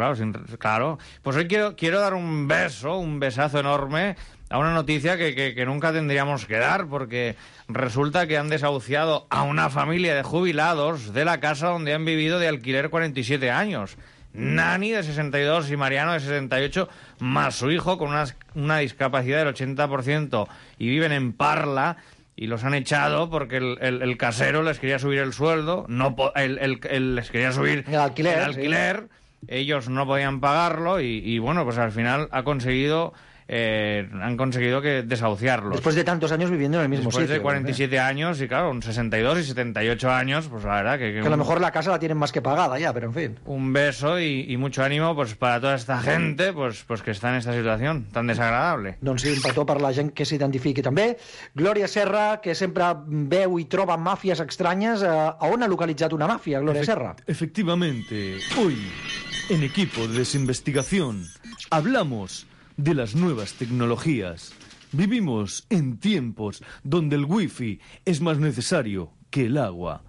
claro, pues hoy quiero dar un besazo enorme a una noticia que nunca tendríamos que dar, porque resulta que han desahuciado a una familia de jubilados de la casa donde han vivido de alquiler 47 años. Nani, de 62, y Mariano, de 68, más su hijo, con una discapacidad del 80%, y viven en Parla, y los han echado porque el casero les quería subir el sueldo, les quería subir el alquiler. Sí. Ellos no podían pagarlo y bueno, pues al final han conseguido que desahuciarlos. Después de tantos años viviendo en el mismo sitio. Después de 47 años y claro, con 62 y 78 años, pues la verdad que a lo mejor la casa la tienen más que pagada ya, pero en fin. Un beso y mucho ánimo pues para toda esta gente pues que está en esta situación tan desagradable. Doncs sí, un petó per la gent que s'identifiqui també. Glòria Serra, que sempre veu i troba màfies estranyes. A on ha localitzat una màfia, Glòria Serra? Efectivamente, hoy, en Equipo de Desinvestigación, hablamos de las nuevas tecnologías. Vivimos en tiempos donde el wifi es más necesario que el agua.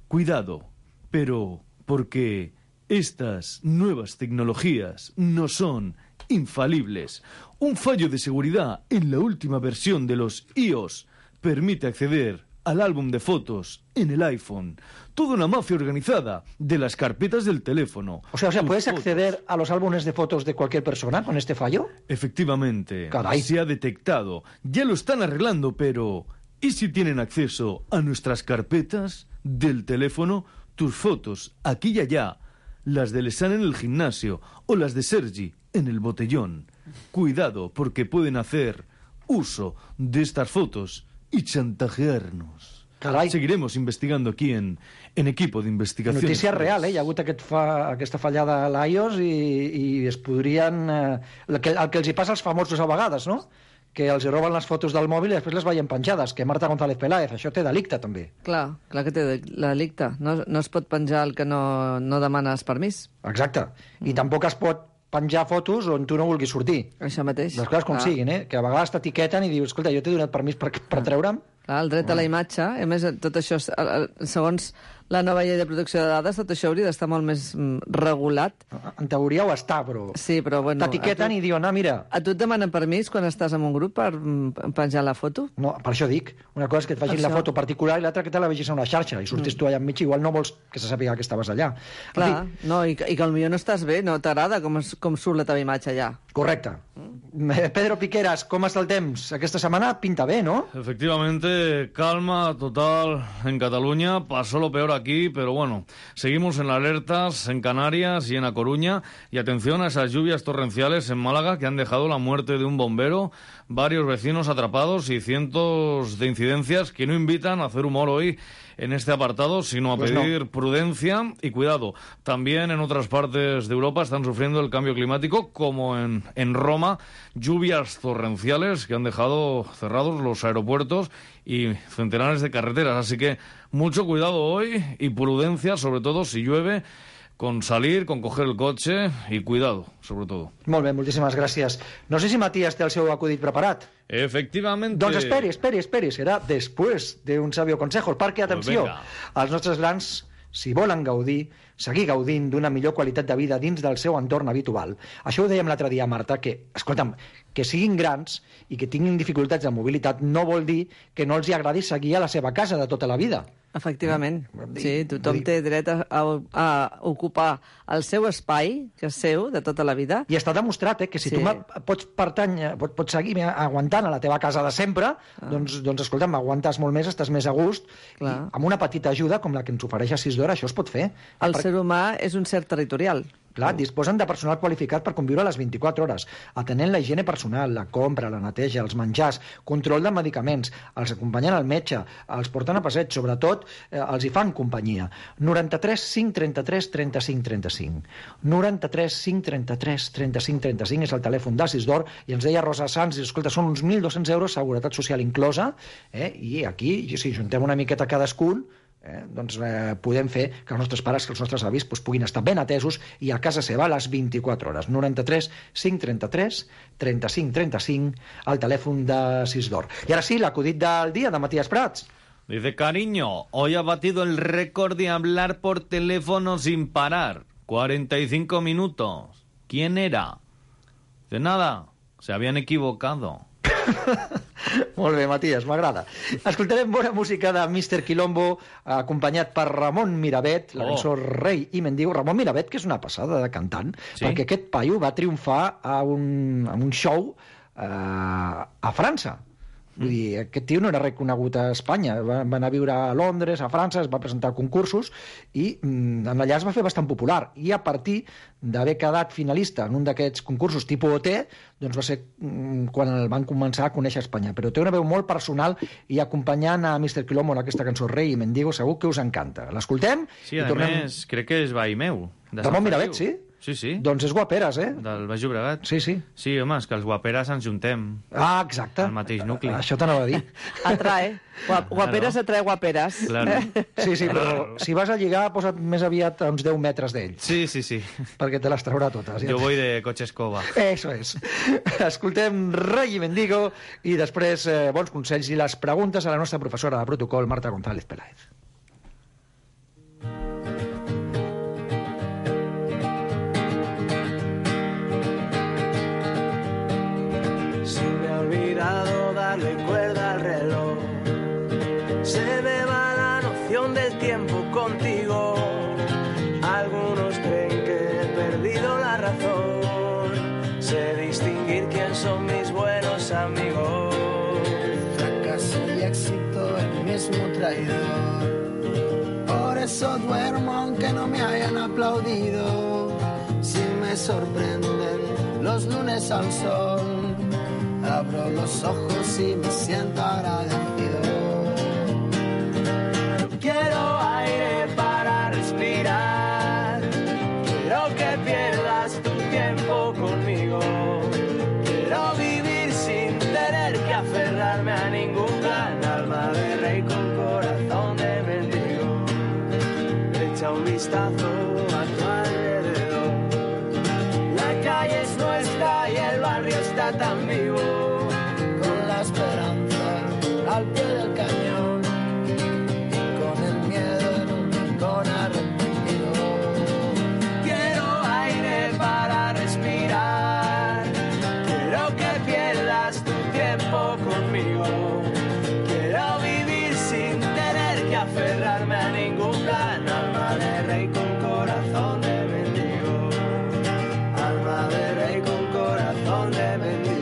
Cuidado, pero porque estas nuevas tecnologías no son infalibles. Un fallo de seguridad en la última versión de los iOS permite acceder al álbum de fotos en el iPhone. Toda una mafia organizada de las carpetas del teléfono. O sea, ¿puedes acceder a los álbumes de fotos de cualquier persona con este fallo? Efectivamente. Caray. Se ha detectado. Ya lo están arreglando, pero ¿y si tienen acceso a nuestras carpetas del teléfono? Tus fotos, aquí y allá. Las de Lesan en el gimnasio o las de Sergi en el botellón. Cuidado, porque pueden hacer uso de estas fotos y chantajearnos. Carai. Seguiremos investigando aquí en Equipo de Investigación. Notícia real, Hi ha hagut aquesta fallada a l'iOS i es podrien... el que els hi passa als famosos a vegades, no? Que els hi roben les fotos del mòbil i després les veien penjades, que Marta González Peláez, això té delicte també. Clar que té delicte. No es pot penjar el que no demanes permís. Exacte. I tampoc es pot penjar fotos on tu no vulguis sortir. Això mateix. Les coses com siguin, que a vegades t'etiqueten i dius, escolta, jo t'he donat permís per treure'm. El dret a la imatge, a més, tot això, segons la nova llei de protecció de dades, tot això hauria d'estar molt més regulat. En teoria ho està, però... Sí, però bueno... T'etiqueten i diuen, mira... A tu et demanen permís quan estàs en un grup per penjar la foto? No, per això dic. Una cosa és que et facin la foto particular i l'altra que te la vegis a una xarxa i sortis tu allà enmig, igual no vols que se sàpiga que estaves allà. Clar, no, i que potser no estàs bé, no t'agrada com surt la teva imatge allà. Correcte. Pedro Piqueras, com està el temps? Aquesta setmana pinta bé, ¿no? Efectivamente, calma total en Cataluña. Pasó lo peor aquí, pero bueno, seguimos en alertas en Canarias y en A Coruña. Y atención a esas lluvias torrenciales en Málaga que han dejado la muerte de un bombero, varios vecinos atrapados y cientos de incidencias que no invitan a hacer humor hoy en este apartado, sino a pedir prudencia y cuidado. También en otras partes de Europa están sufriendo el cambio climático, como en Roma, lluvias torrenciales que han dejado cerrados los aeropuertos y centenares de carreteras. Así que mucho cuidado hoy y prudencia, sobre todo si llueve, con salir, con coger el cotxe i cuidado, sobre todo. Molt bé, moltíssimes gràcies. No sé si Matías té el seu acudit preparat. Efectivamente. Doncs esperi, serà després d'un sabio consejo, perquè, atenció, els nostres grans si volen gaudir, seguir gaudint d'una millor qualitat de vida dins del seu entorn habitual. Això ho dèiem l'altre dia, Marta, que, escolta'm, que siguin grans i que tinguin dificultats de mobilitat no vol dir que no els hi agradi seguir a la seva casa de tota la vida. Efectivament. Sí, tothom té dret a ocupar el seu espai, que és seu, de tota la vida. I està demostrat, que si tu pots seguir aguantant a la teva casa de sempre, doncs escolta'm, aguantes molt més, estàs més a gust, i amb una petita ajuda com la que ens ofereix Assisdor, això es pot fer. El ser humà és un ser territorial. Clar, disposen de personal qualificat per conviure a les 24 hores, atenent la higiene personal, la compra, la neteja, els menjars, control de medicaments, els acompanyen al metge, els porten a passeig, sobretot els hi fan companyia. 93 533 35 35. 93 533 35 35 és el telèfon d'Assisdor, i ens deia Rosa Sanz, escolta, són uns 1.200 euros, seguretat social inclosa, i aquí, si juntem una miqueta cadascun, doncs podem fer que els nostres pares, que els nostres avis puguin estar ben atesos i a casa seva a les 24 hores. 93 533 35 35, el telèfon d'Assisdor. I ara sí, l'acudit del dia de Matías Prats. Dice, cariño, hoy ha batido el récord de hablar por teléfono sin parar. 45 minutos. ¿Quién era? De nada, se habían equivocado. Molt bé, Matías, m'agrada. Escoltarem bona música de Mr. Quilombo, acompanyat per Ramon Miravet, la cançó Rei i Mendigo. Ramon Miravet, que és una passada de cantant, perquè aquest paio va triomfar a un show a França. Vull dir, aquest tio no era reconegut a Espanya, va anar a viure a Londres, a França, es va presentar a concursos i allà es va fer bastant popular, i a partir d'haver quedat finalista en un d'aquests concursos tipus OT, doncs va ser quan el van començar a conèixer a Espanya. Però té una veu molt personal, i acompanyant a Mr. Quilombo en aquesta cançó Rei i Mendigo segur que us encanta. L'escoltem? Sí, a més, crec que és veí meu. Ramon Miravet, sí? Sí, sí. Doncs és Guaperes, Del Baix Llobregat. Sí, sí. Sí, home, és que els Guaperes ens juntem. Ah, exacte. Al mateix nucli. Això t'anava a dir. Atrae. Guaperes atrae guaperes. Claro. Sí, sí, però si vas a lligar, posa't més aviat a uns 10 metres d'ell. Sí, sí, sí. Perquè te les traurà totes. Jo voy de coche escoba. Eso es. Escoltem Rei i Mendigo i després bons consells i les preguntes a la nostra professora de protocol, Marta González Peláez. Darle cuerda al reloj, se me va la noción del tiempo contigo. Algunos creen que he perdido la razón, sé distinguir quién son mis buenos amigos. Fracaso y éxito, el mismo traidor. Por eso duermo aunque no me hayan aplaudido. Si me sorprenden los lunes al sol, abro los ojos y me siento agradecido. Quiero aire para respirar, quiero que pierdas tu tiempo conmigo. Quiero vivir sin tener que aferrarme a ningún plan, alma de rey con corazón de mendigo. Echa un vistazo a tu alrededor, la calle es nuestra y el barrio está tan vivo. Al pie del cañón, y con el miedo en un rincón arrepentido. Quiero aire para respirar, quiero que pierdas tu tiempo conmigo. Quiero vivir sin tener que aferrarme a ningún plan, alma de rey con corazón de mendigo. Alma de rey con corazón de mendigo.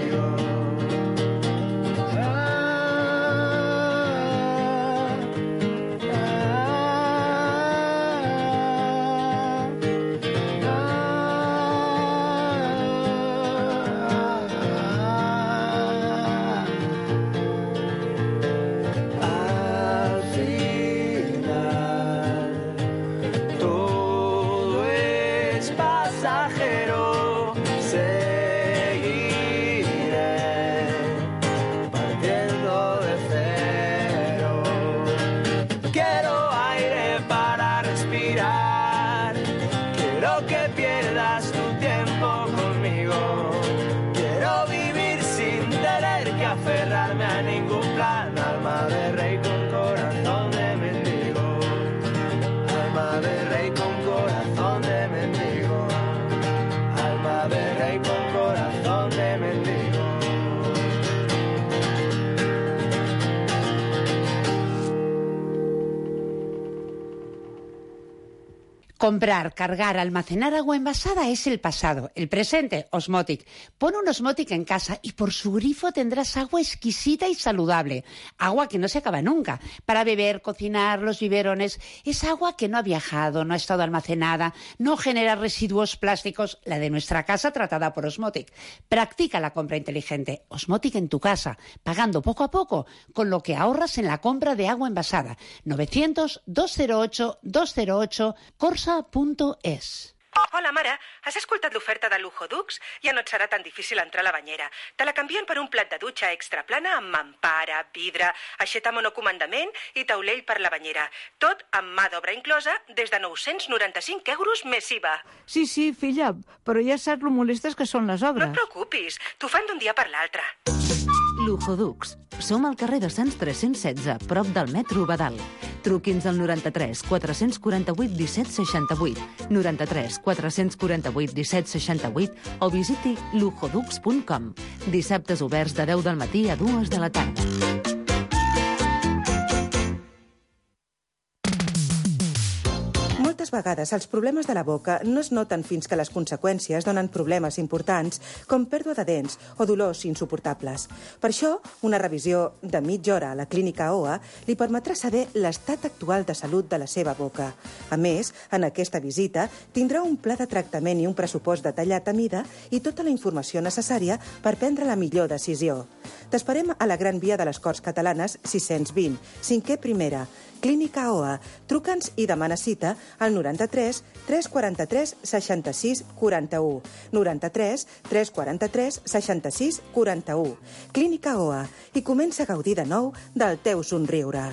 Comprar, cargar, almacenar agua envasada es el pasado. El presente, Osmotic. Pon un Osmotic en casa y por su grifo tendrás agua exquisita y saludable. Agua que no se acaba nunca. Para beber, cocinar, los biberones. Es agua que no ha viajado, no ha estado almacenada, no genera residuos plásticos. La de nuestra casa tratada por Osmotic. Practica la compra inteligente. Osmotic en tu casa, pagando poco a poco, con lo que ahorras en la compra de agua envasada. 900-208-208, corsa.es. Hola, mare. Has escoltat l'oferta de Lujo Dux? Ja no et serà tan difícil entrar a la banyera. Te la canvien per un plat de dutxa extra plana amb mampara, vidre, aixeta monocomandament i taulell per la banyera. Tot amb mà d'obra inclosa des de 995 euros més IVA. Sí, filla, però ja saps lo molestes que són les obres. No et preocupis, t'ho fan d'un dia per l'altre. Lujo Dux. Som al carrer de Sants 316, prop del metro Badal. Truqui'ns al 93 448 17 68, 93 448 17 68 o visiti lujodux.com. Dissabtes oberts de 10 del matí a 2 de la tarda. Moltes vegades els problemes de la boca no es noten fins que les conseqüències donen problemes importants com pèrdua de dents o dolors insuportables. Per això, una revisió de mitja hora a la clínica OA li permetrà saber l'estat actual de salut de la seva boca. A més, en aquesta visita tindrà un pla de tractament i un pressupost detallat a mida i tota la informació necessària per prendre la millor decisió. T'esperem a la Gran Via de les Corts Catalanes 620, 5è primera, Clínica OA. Truca'ns i demana cita al 93 343 66 41. 93 343 66 41. Clínica OA. I comença a gaudir de nou del teu somriure.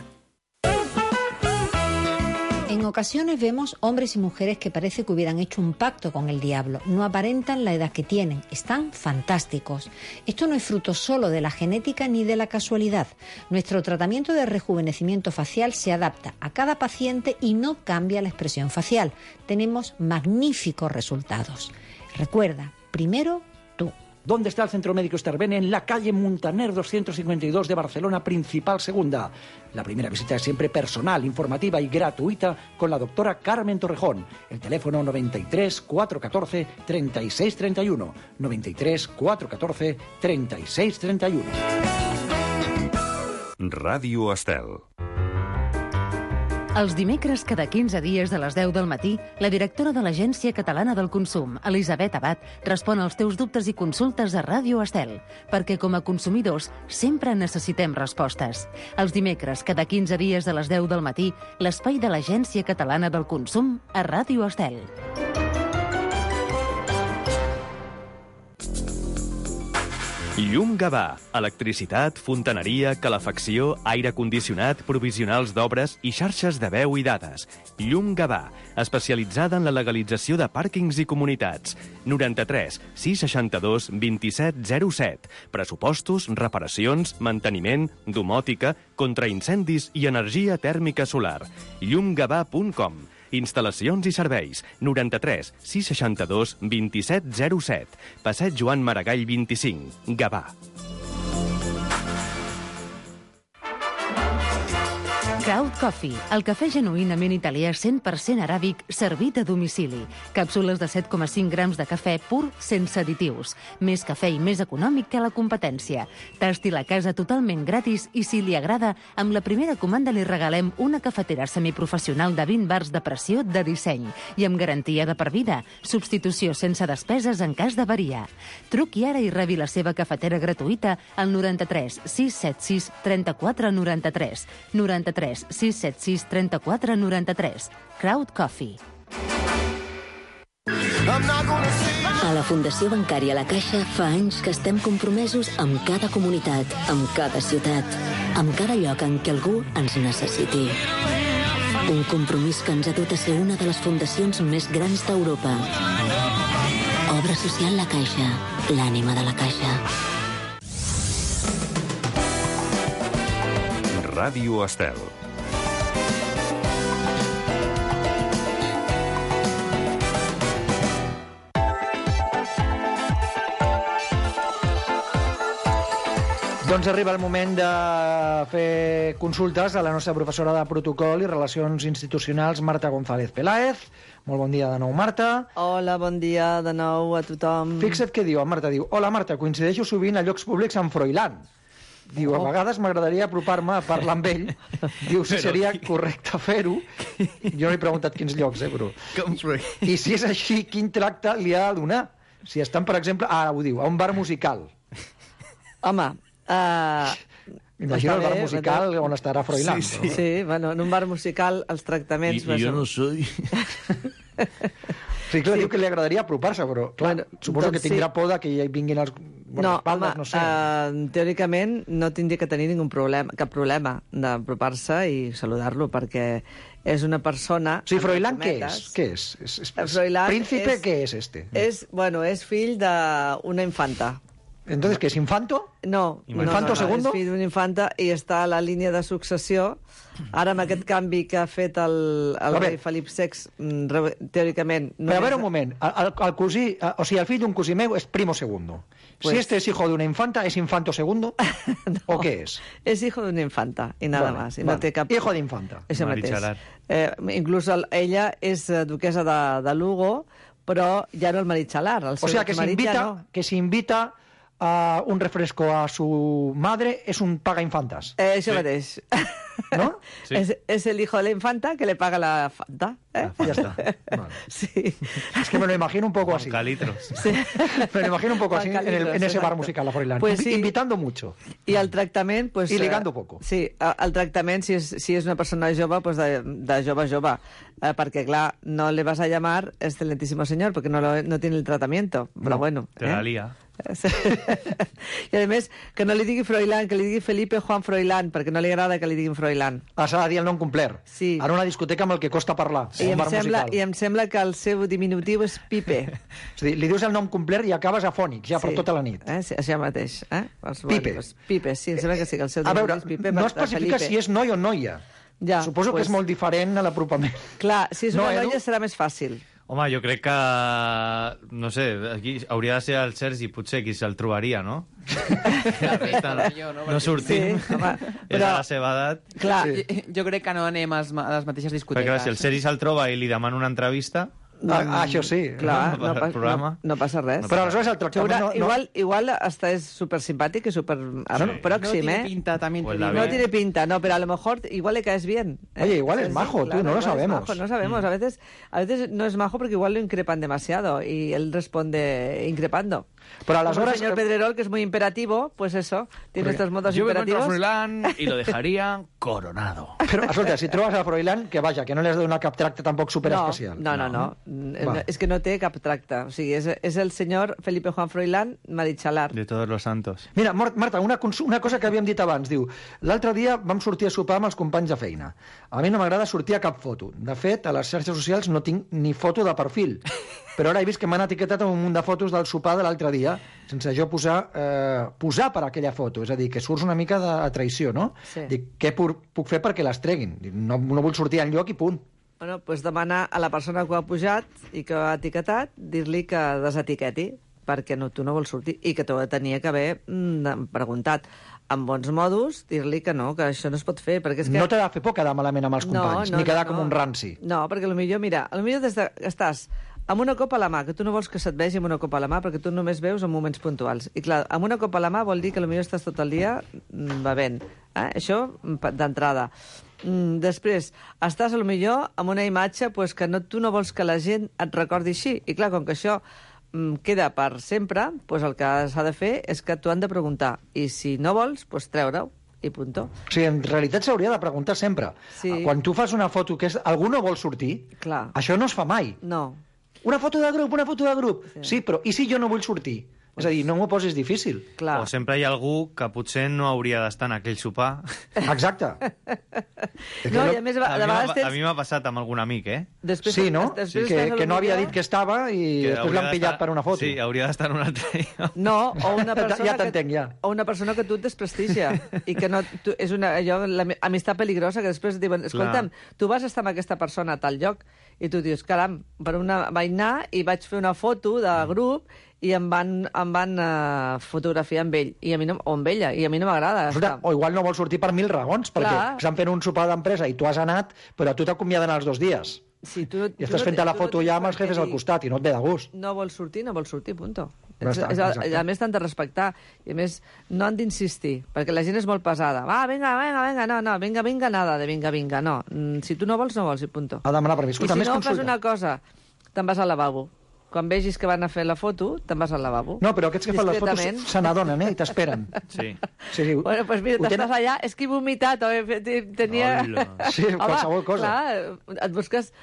En ocasiones vemos hombres y mujeres que parece que hubieran hecho un pacto con el diablo. No aparentan la edad que tienen. Están fantásticos. Esto no es fruto solo de la genética ni de la casualidad. Nuestro tratamiento de rejuvenecimiento facial se adapta a cada paciente y no cambia la expresión facial. Tenemos magníficos resultados. Recuerda, primero tú. ¿Dónde está el Centro Médico Estervene? En la calle Muntaner 252 de Barcelona, Principal Segunda. La primera visita es siempre personal, informativa y gratuita con la doctora Carmen Torrejón. El teléfono 93 414 36 31. 93 414 36 31. Ràdio Estel. Els dimecres, cada 15 dies a les 10 del matí, la directora de l'Agència Catalana del Consum, Elisabet Abad, respon als teus dubtes i consultes a Ràdio Estel, perquè com a consumidors sempre necessitem respostes. Els dimecres, cada 15 dies a les 10 del matí, l'espai de l'Agència Catalana del Consum a Ràdio Estel. Llum Gavà. Electricitat, fontaneria, calefacció, aire condicionat, provisionals d'obres i xarxes de veu i dades. Llum Gavà, especialitzada en la legalització de pàrquings i comunitats. 93 662 27 07. Pressupostos, reparacions, manteniment, domòtica, contraincendis i energia tèrmica solar. llumgavà.com. Instal·lacions i serveis. 93 662 27 07. Passeig Joan Maragall 25. Gavà. Crowd Coffee, el cafè genuïnament italià 100% aràbic servit a domicili. Càpsules de 7,5 grams de cafè pur sense additius. Més cafè i més econòmic que la competència. Tasti la casa totalment gratis i si li agrada, amb la primera comanda li regalem una cafetera semiprofessional de 20 bars de pressió de disseny i amb garantia de per vida. Substitució sense despeses en cas d'avaria. Truqui ara i rebi la seva cafetera gratuïta al 93 676 34 93. 93 676 34 93. Crowd Coffee. A la Fundació Bancària La Caixa fa anys que estem compromesos amb cada comunitat, amb cada ciutat, amb cada lloc en què algú ens necessiti. Un compromís que ens ha dut a ser una de les fundacions més grans d'Europa. Obra social La Caixa, l'ànima de la Caixa. Ràdio Estel. Doncs arriba el moment de fer consultes a la nostra professora de protocol i relacions institucionals, Marta González Peláez. Molt bon dia de nou, Marta. Hola, bon dia de nou a tothom. Fixa't què diu, Marta diu: hola, Marta, coincideixo sovint a llocs públics amb Froilán. Diu, a vegades m'agradaria apropar-me a parlar amb ell. Diu, si seria correcte fer-ho. Jo no he preguntat quins llocs, però... I si és així, quin tracte li ha de donar? Si estan, per exemple, ara ho diu, a un bar musical. Home, imagina el bar musical on estarà Froilán. Sí, bueno, en un bar musical els tractaments... I jo no soy... Sí, clar, diu que li agradaria apropar-se, però clar, suposo que tindrà por de que hi vinguin els guardaespaldes, no sé. Teòricament no tindria que tenir cap problema d'apropar-se i saludar-lo, perquè és una persona... Sí, Froilán què és? Què és? Príncipe, què és este? És fill d'una infanta. Entonces, ¿qué es infanto? No. ¿Infanto segundo? És fill d'una infanta i està a la línia de successió. Ara, amb aquest canvi que ha fet el rei Felip VI, teòricament... Però a veure un moment, el cosí, o sigui, el fill d'un cosí meu és primo segundo. Si este es hijo de una infanta, ¿es infanto segundo? ¿O qué es? És hijo d'una infanta, i nada más. No té cap... Hijo d'infanta. Això mateix. Inclús ella és duquesa de Lugo, però ja no el maritxalar. O sea, que si invita a un refresco a su madre es un paga infantas. Això mateix. ¿No? Sí. Es el hijo de la infanta que le paga la fanta. Ya está. Vale. Sí. Es que me lo imagino un poco así. Sí. Me lo imagino un poco así en ese bar musical, la Froilán. Pues sí. Invitando mucho. I el tractament... Pues, I ligando poco. Sí, el tractament, si és una persona jove, pues de jove a jove. Perquè, clar, no le vas a llamar excelentísimo señor, porque no tiene el tratamiento. Però bueno. Te la lía. I a més, que no li digui Froilán, que li digui Felipe Juan Froilán, perquè no li agrada que li diguin Froilán. S'ha de dir el nom complet. Sí. En una discoteca amb el que costa parlar. I em sembla que el seu diminutiu és Pipe. És a dir, li dius el nom complet i acabes afònic, ja per tota la nit. Sí, això mateix. Pipe. Pipe, sí, em sembla que sí, que el seu diminutiu és Pipe. No especifica si és noi o noia. Ja, suposo que és molt diferent a l'apropament. Clar, si és una noia serà més fàcil. Home, jo crec que, no sé, aquí hauria de ser el Sergi, potser, qui se'l trobaria, no? No sortim. Sí, home, és a la seva edat. Clar, jo crec que no anem a les mateixes discoteques. Perquè si el Sergi se'l troba i li demana una entrevista... Això sí. Clar, no passa res. Però aleshores el tractament... Igual hasta és súper simpàtic i súper pròxim, No tiene pinta, también te digo. No tiene pinta, no, pero a lo mejor igual le caes bien. Oye, igual es majo, tú, no lo sabemos. No sabemos, a veces no es majo porque igual lo increpan demasiado y él responde increpando. Pero a las horas... El señor Pedrerol, que es muy imperativo, pues eso, tiene estos modos imperativos. Yo me encuentro a Froilán y lo dejaría coronado. Però, escolta, si trobes a Froilán, que vaja, que no li has de donar cap tracte tampoc superespecial. No. És que no té cap tracte. O sigui, és el senyor Felipe Juan Froilán Marichalar. De todos los santos. Mira, Marta, una cosa que havíem dit abans. Diu, l'altre dia vam sortir a sopar amb els companys de feina. A mi no m'agrada sortir a cap foto. De fet, a les xarxes socials no tinc ni foto de perfil. Però ara he vist que m'han etiquetat amb un munt de fotos del sopar de l'altre dia, sense jo posar per aquella foto. És a dir, que surts una mica de traïció, no? Sí. Dic, què puc fer perquè les treguin? Dic, no vull sortir enlloc i punt. Bueno, doncs demanar a la persona que ho ha pujat i que ho ha etiquetat, dir-li que desetiqueti, perquè tu no vols sortir, i que t'ho tenia que haver preguntat. Amb bons modos, dir-li que no, que això no es pot fer, perquè és que... No t'ha de fer por quedar malament amb els companys, ni quedar com un ranci. No, perquè potser des que estàs amb una copa a la mà, que tu no vols que se't vegi amb una copa a la mà, perquè tu només veus en moments puntuals. I clar, amb una copa a la mà vol dir que potser estàs tot el dia bevent. Això d'entrada. Després, estàs potser amb una imatge que tu no vols que la gent et recordi així. I clar, com que això queda per sempre, el que s'ha de fer és que t'ho han de preguntar. I si no vols, treure-ho. I punto. O sigui, en realitat s'hauria de preguntar sempre. Sí. Quan tu fas una foto que algú no vol sortir, clar, això no es fa mai. No. Una foto de grup. Sí, però i si jo no vull sortir? És a dir, no m'ho posis difícil. Clar. O sempre hi ha algú que potser no hauria d'estar en aquell sopar. Exacte. No, i a més, de vegades tens... A mi m'ha passat amb algun amic, Després, sí, no? Després Que no havia dit que estava i després l'han pillat per una foto. Sí, hauria d'estar en un altre. No, o una persona Ja t'entenc, ja. O una persona que tu et desprestigia i que no... És l'amistat peligrosa, que després diuen, escolta'm, tu vas estar amb aquesta persona a tal lloc i tu dius, caram, vaig anar i vaig fer una foto de grup i em van fotografiar amb ell o amb ella, i a mi no m'agrada. O igual no vol sortir per 1000 raons, perquè estan fent un sopar d'empresa i tu has anat, però a tu t'acomiaden els 2 dies. Sí, I estàs fent la foto ja amb els jefes al costat i no et ve de gust. No vols sortir, punto. Exacte. A més, t'han de respectar. I a més, no han d'insistir, perquè la gent és molt pesada. Va, vinga, no, vinga, nada de vinga, no. Si tu no vols, i punto. Ha de demanar permís. I si no, fas una cosa, te'n vas al lavabo. Quan vegis que van a fer la foto, te'n vas al lavabo. No, però aquests que fan les fotos se n'adonen, i t'esperen. Sí. Bueno, doncs mira, t'estàs allà, és que he vomitat, o tenia... Sí, qualsevol cosa. Clar, et busques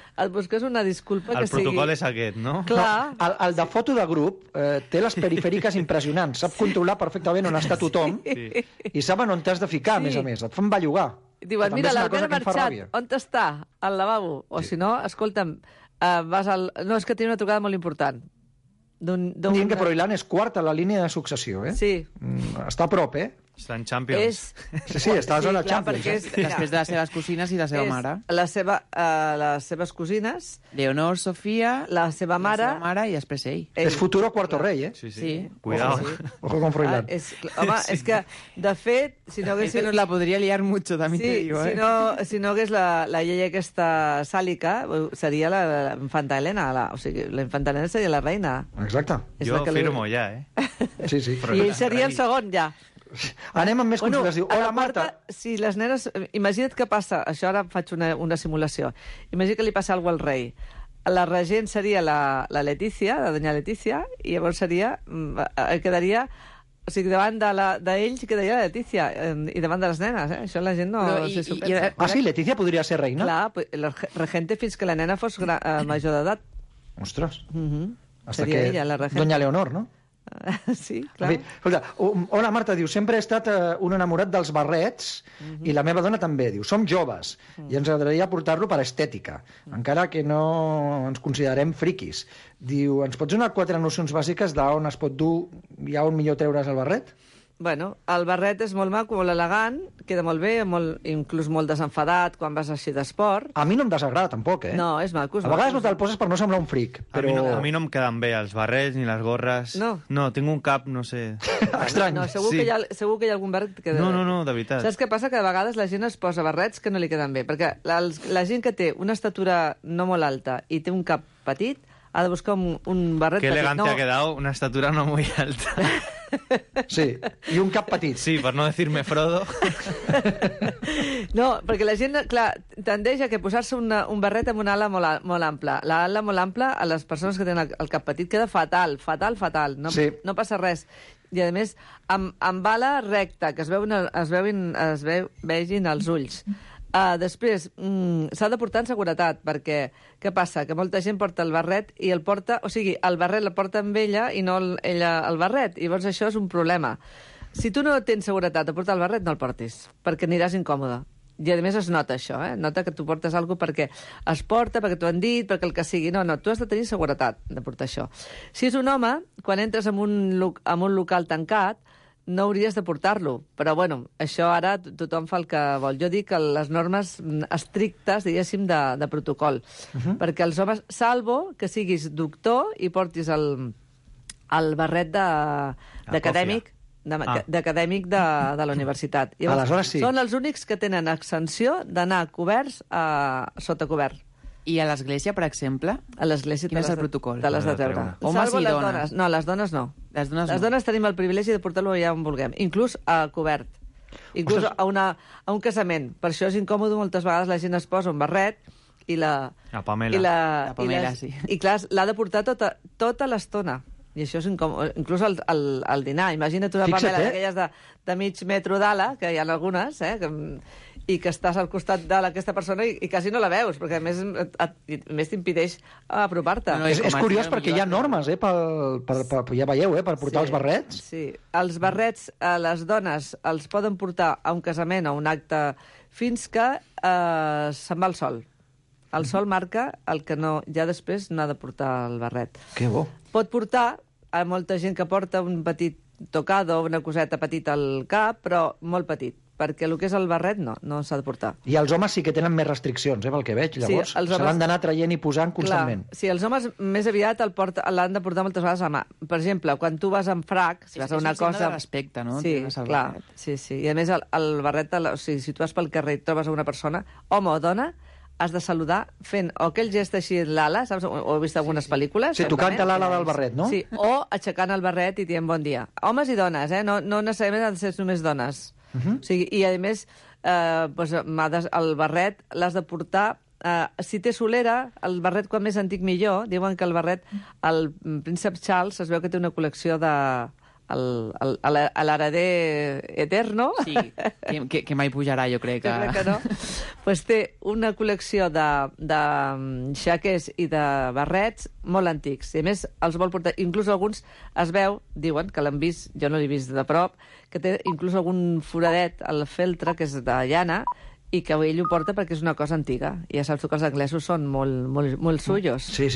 una disculpa que sigui... El protocol és aquest, no? Clar. El de foto de grup té les perifèriques impressionants, sap controlar perfectament on està tothom i saben on t'has de ficar, a més a més. Et fan bellugar. Diuen, mira, l'Albert ha marxat, on està? Al lavabo. O si no, escolta'm, no, és que té una trucada molt important. Dient que Froilán és quart a la línia de successió, Sí. Està a prop, Està en Champions. Sí, està a zona Champions. Després de les seves cosines i la seva mare. Les seves cosines... Leonor, Sofia... La seva mare i després ell. És futuro cuarto rei, Sí. Cuidado. Ojo con Froilán. Home, és que, de fet, si no hagués... Nos la podria liar mucho, també te digo, si no hagués la llei aquesta sàlica, seria la infanta Helena. O sigui, la infanta Helena seria la reina. Exacte. Jo firmo ja, Sí. I ell seria el segon, ja. Anem amb més consultes. Diu, hola, Marta. Si les nenes... Imagina't què passa. Això ara faig una simulació. Imagina't que li passa alguna cosa al rei. La regent seria la Letícia, la doña Letícia, i llavors quedaria... O sigui, davant d'ells quedaria la Letícia, i davant de les nenes, Això la gent no se supera. Sí, Letícia podria ser reina? Clar, la regente fins que la nena fos major d'edat. Ostres. Hasta Seria que ella, la regente. Doña Leonor, no? Sí, clar. Escolta, hola, Marta, diu, sempre he estat un enamorat dels barrets i la meva dona també, diu, som joves i ens agradaria portar-lo per estètica, encara que no ens considerem friquis. Diu, ens pots donar 4 nocions bàsiques d'on es pot dur i on millor treure's el barret? Bueno, el barret és molt maco, molt elegant, queda molt bé, inclús molt desenfadat quan vas així d'esport. A mi no em desagrada, tampoc, No, és maco. A vegades no te'l poses per no semblar un fric, però... A mi no em queden bé els barrets ni les gorres. No, tinc un cap, no sé... Estrany. No, segur que hi ha algun barret que queda... No, de veritat. Saps què passa? Que de vegades la gent es posa barrets que no li queden bé, perquè la gent que té una estatura no molt alta i té un cap petit ha de buscar un barret petit. Qué elegante ha quedado, una estatura no muy alta. Sí, i un cap petit. Sí, per no decirme Frodo. No, perquè la gent, clar, tendeix a que posar-se un barret amb una ala molt ampla. L'ala molt ampla, a les persones que tenen el cap petit, queda fatal. No passa res. I, a més, amb ala recta, que es vegin els ulls. Després, s'ha de portar en seguretat, perquè què passa? Que molta gent porta el barret i el porta... O sigui, el barret la porta amb ella i no ella el barret. I llavors això és un problema. Si tu no tens seguretat de portar el barret, no el portis, perquè aniràs incòmode. I a més es nota això, Nota que tu portes alguna cosa perquè es porta, perquè t'ho han dit, perquè el que sigui. No, tu has de tenir seguretat de portar això. Si és un home, quan entres en un local tancat, no hauries de portar-lo. Però, bueno, això ara tothom fa el que vol. Jo dic que les normes estrictes, diguéssim, de protocol. Perquè els homes, salvo que siguis doctor i portis el barret d'acadèmic d'acadèmic de la universitat. Llavors, aleshores sí. Són els únics que tenen exempció d'anar coberts sota cobert. I a l'església, per exemple? A l'església quin és el protocol? Te l'has de treure. Homes i dones? No, les dones no. Les dones tenim el privilegi de portar-lo allà on vulguem, inclús a cobert. Inclús a un casament. Per això és incòmode, moltes vegades la gent es posa un barret i la Pamela. La Pamela, sí. I clar, l'ha de portar tota l'estona. I això és incòmode. Inclús al dinar. Imagina't una Pamela d'aquelles de mig metro d'ala, que hi ha algunes, i que estàs al costat d'aquesta persona i quasi no la veus, perquè a més t'impedeix apropar-te. És curiós perquè hi ha normes, ja veieu, per portar els barrets. Sí, els barrets a les dones els poden portar a un casament o un acte fins que se'n va el sol. El sol marca el que no, ja després no ha de portar el barret. Que bo. Pot portar a molta gent que porta un petit tocado, una coseta petita al cap, però molt petit, perquè el que és el barret no s'ha de portar. I els homes sí que tenen més restriccions, pel que veig, llavors. Sí, se l'han d'anar traient i posant constantment. Clar, sí, els homes més aviat l'han de portar moltes vegades a mà. Per exemple, quan tu vas en frac, si vas a una cosa... És un signe de respecte, no? Sí, clar. Sí. I a més, el barret, si tu vas pel carrer i trobes una persona, home o dona, has de saludar fent o aquell gest així l'ala, saps? Ho he vist algunes pel·lícules. Sí, tocant l'ala del barret, no? Sí, o aixecant el barret i dient bon dia. Homes i dones, no necessàriament han de ser només dones. O sigui, i a més, el barret l'has de portar... si té solera, el barret quan més antic millor. Diuen que el barret, el príncep Charles es veu que té una col·lecció de... l'hereder eterno. Sí, que mai pujarà, jo crec que... Jo crec que no. Pues té una col·lecció de xaquers i de barrets molt antics. I a més, els vol portar... Inclús alguns es veu, diuen, que l'han vist, jo no l'he vist de prop, que té inclús algun foradet al feltre, que és de llana, i que ell ho porta perquè és una cosa antiga. I ja saps tu que els anglesos són molt suyos. Sí. O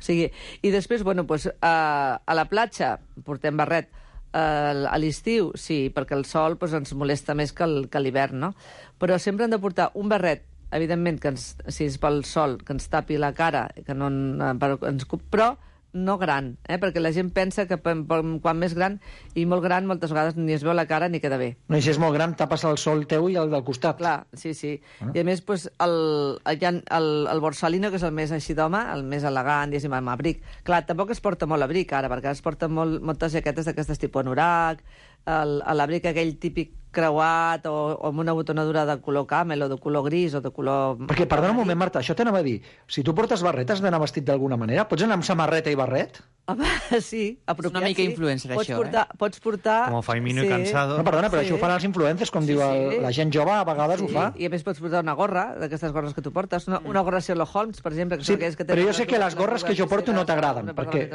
sigui, i després, a la platja portem barret. A l'estiu, sí, perquè el sol ens molesta més que l'hivern, no? Però sempre hem de portar un barret, evidentment, si és pel sol, que ens tapi la cara, però no gran, perquè la gent pensa que quan més gran, i molt gran, moltes vegades ni es veu la cara ni queda bé. No, i si és molt gran, tapes el sol teu i el del costat. Clar, sí. I a més, el borsalino, que és el més així d'home, el més elegant, diguéssim, amb abric. Clar, tampoc es porta molt abric, ara, perquè es porten moltes jaquetes d'aquestes tipus anorac, l'abric aquell típic creuat o amb una botonadura de color camel o de color gris o de color... Perquè, perdona un moment, Marta, això t'anava a dir. Si tu portes barret, has d'anar vestit d'alguna manera? Pots anar amb samarreta i barret? Home, sí, apropiat, una mica influencer, això, Pots portar... Com Faimino i Cansado. No, perdona, però això ho fan els influencers, com diu la gent jove, a vegades ho fa. I a més pots portar una gorra, d'aquestes gorres que tu portes, una gorra Sherlock Holmes, per exemple. Sí, però jo sé que les gorres que jo porto no t'agraden, perquè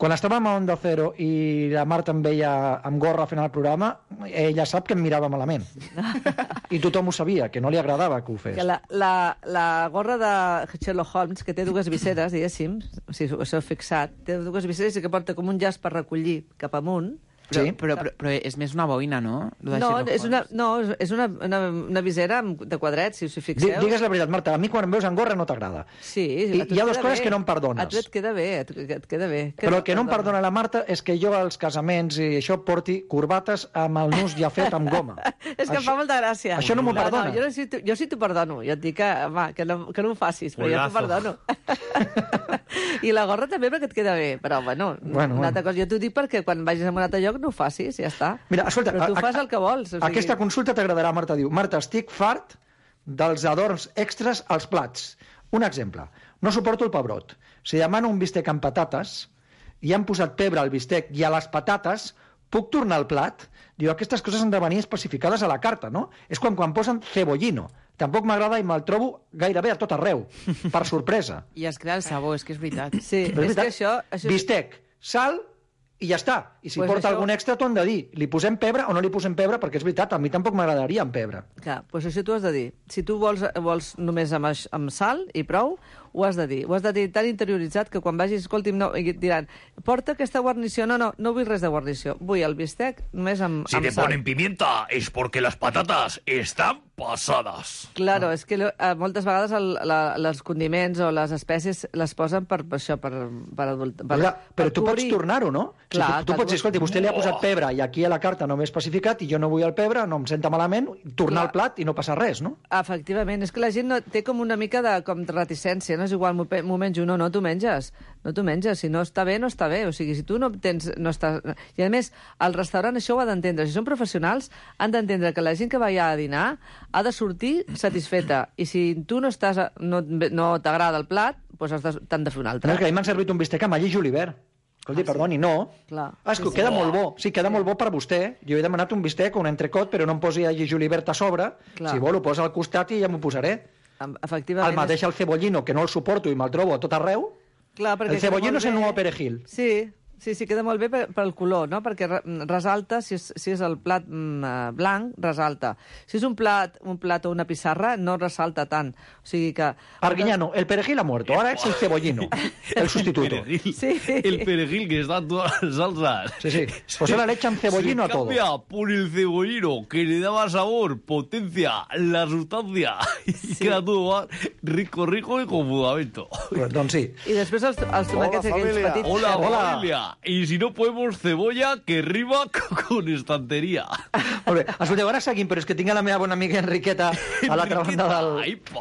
quan estàvem a Onda Cero i la Marta em veia amb gorra fent el programa, ella sap que em mirava malament. I tothom ho sabia, que no li agradava que ho fes. La gorra de Sherlock Holmes, que té dues viseres, diguéssim, si us heu fixat, té dues viseres i que porta com un llaç per recollir cap amunt. Però és més una boina, no? És una visera de quadrets, si us hi fixeu. Digues la veritat, Marta, a mi quan em veus en gorra no t'agrada. Sí. I hi ha dues coses que no em perdones. A tu et queda bé, et queda bé. Però el que no em perdona la Marta és que jo als casaments i això porti corbates amb el nus ja fet amb goma. És que em fa molta gràcia. Això no m'ho perdona. Jo sí t'ho perdono. Jo et dic que no ho facis, però jo t'ho perdono. I la gorra també perquè et queda bé. Però, bueno. Una altra cosa. Jo t'ho dic perquè quan vagis a un altre lloc no ho facis, ja està. Mira, escolta, però tu fas el que vols. Aquesta consulta t'agradarà, Marta. Diu, Marta, estic fart dels adorns extras als plats. Un exemple. No suporto el pebrot. Si demano un bistec amb patates i han posat pebre al bistec i a les patates, puc tornar al plat? Diu, aquestes coses han de venir especificades a la carta, no? És quan posen cebollino. Tampoc m'agrada i me'l trobo gairebé a tot arreu, per sorpresa. I es crea el sabor, és que és veritat. Sí, és que això... Bistec, sal i ja està. I si porta algun extra t'ho han de dir. Li posem pebre o no li posem pebre? Perquè és veritat, a mi tampoc m'agradaria amb pebre. Clar, doncs això t'ho has de dir. Si tu vols només amb sal i prou, ho has de dir. Ho has de dir tan interioritzat que quan vagis, escolti'm, no, i et diran, porta aquesta guarnició. No vull res de guarnició. Vull el bistec només amb sal. Si te ponen pimienta es porque las patatas están pasadas. Claro, és que moltes vegades els condiments o les espècies les posen per això, per adultar. Però tu pots tornar-ho, no? Clar, tu pots dir, escolta, vostè li ha posat pebre i aquí a la carta no m'he especificat i jo no vull el pebre, no em senta malament, tornar al plat i no passa res, no? Efectivament, és que la gent té com una mica de reticència, no és igual, m'ho menjo, no t'ho menges. No t'ho menges, si no està bé, no està bé. O sigui, si tu no tens... I a més, el restaurant això ho ha d'entendre. Si són professionals, han d'entendre que la gent que va allà a dinar ha de sortir satisfeta. I si tu no t'agrada el plat, doncs t'han de fer un altre. No, és que a mi m'han servit un bistec amb all i julivert. Escolti, perdoni, no. És que queda molt bo. Sí, queda molt bo per vostè. Jo he demanat un bistec o un entrecot, però no em posi all i julivert a sobre. Si vol, ho posa al costat i ja m'ho posaré. Efectivament. El mateix el cebollino, que no el suporto i me'l trobo a tot arreu. Clar, el cebollino és el nou perejil. Sí, Sí, queda molt bé pel color, no? Perquè resalta, si és el plat blanc, resalta. Si és un plat o una pissarra, no resalta tant. O sigui que... Arguiñano, el perejil ha muerto, ahora es el cebollino, el sustituto. El perejil que está en todas las salsas. Sí. Pues ahora le echan cebollino a todo. Se cambia por el cebollino, que le daba sabor, potencia, la sustancia. Y queda todo más rico y con fundamento. Doncs sí. I després els tomàquets aquells petits... Hola, familia. Y si no podemos cebolla, que rima con estantería. Molt bé. Escolteu, ara seguim, però és que tinc a la meva bona amiga Enriqueta a l'altra banda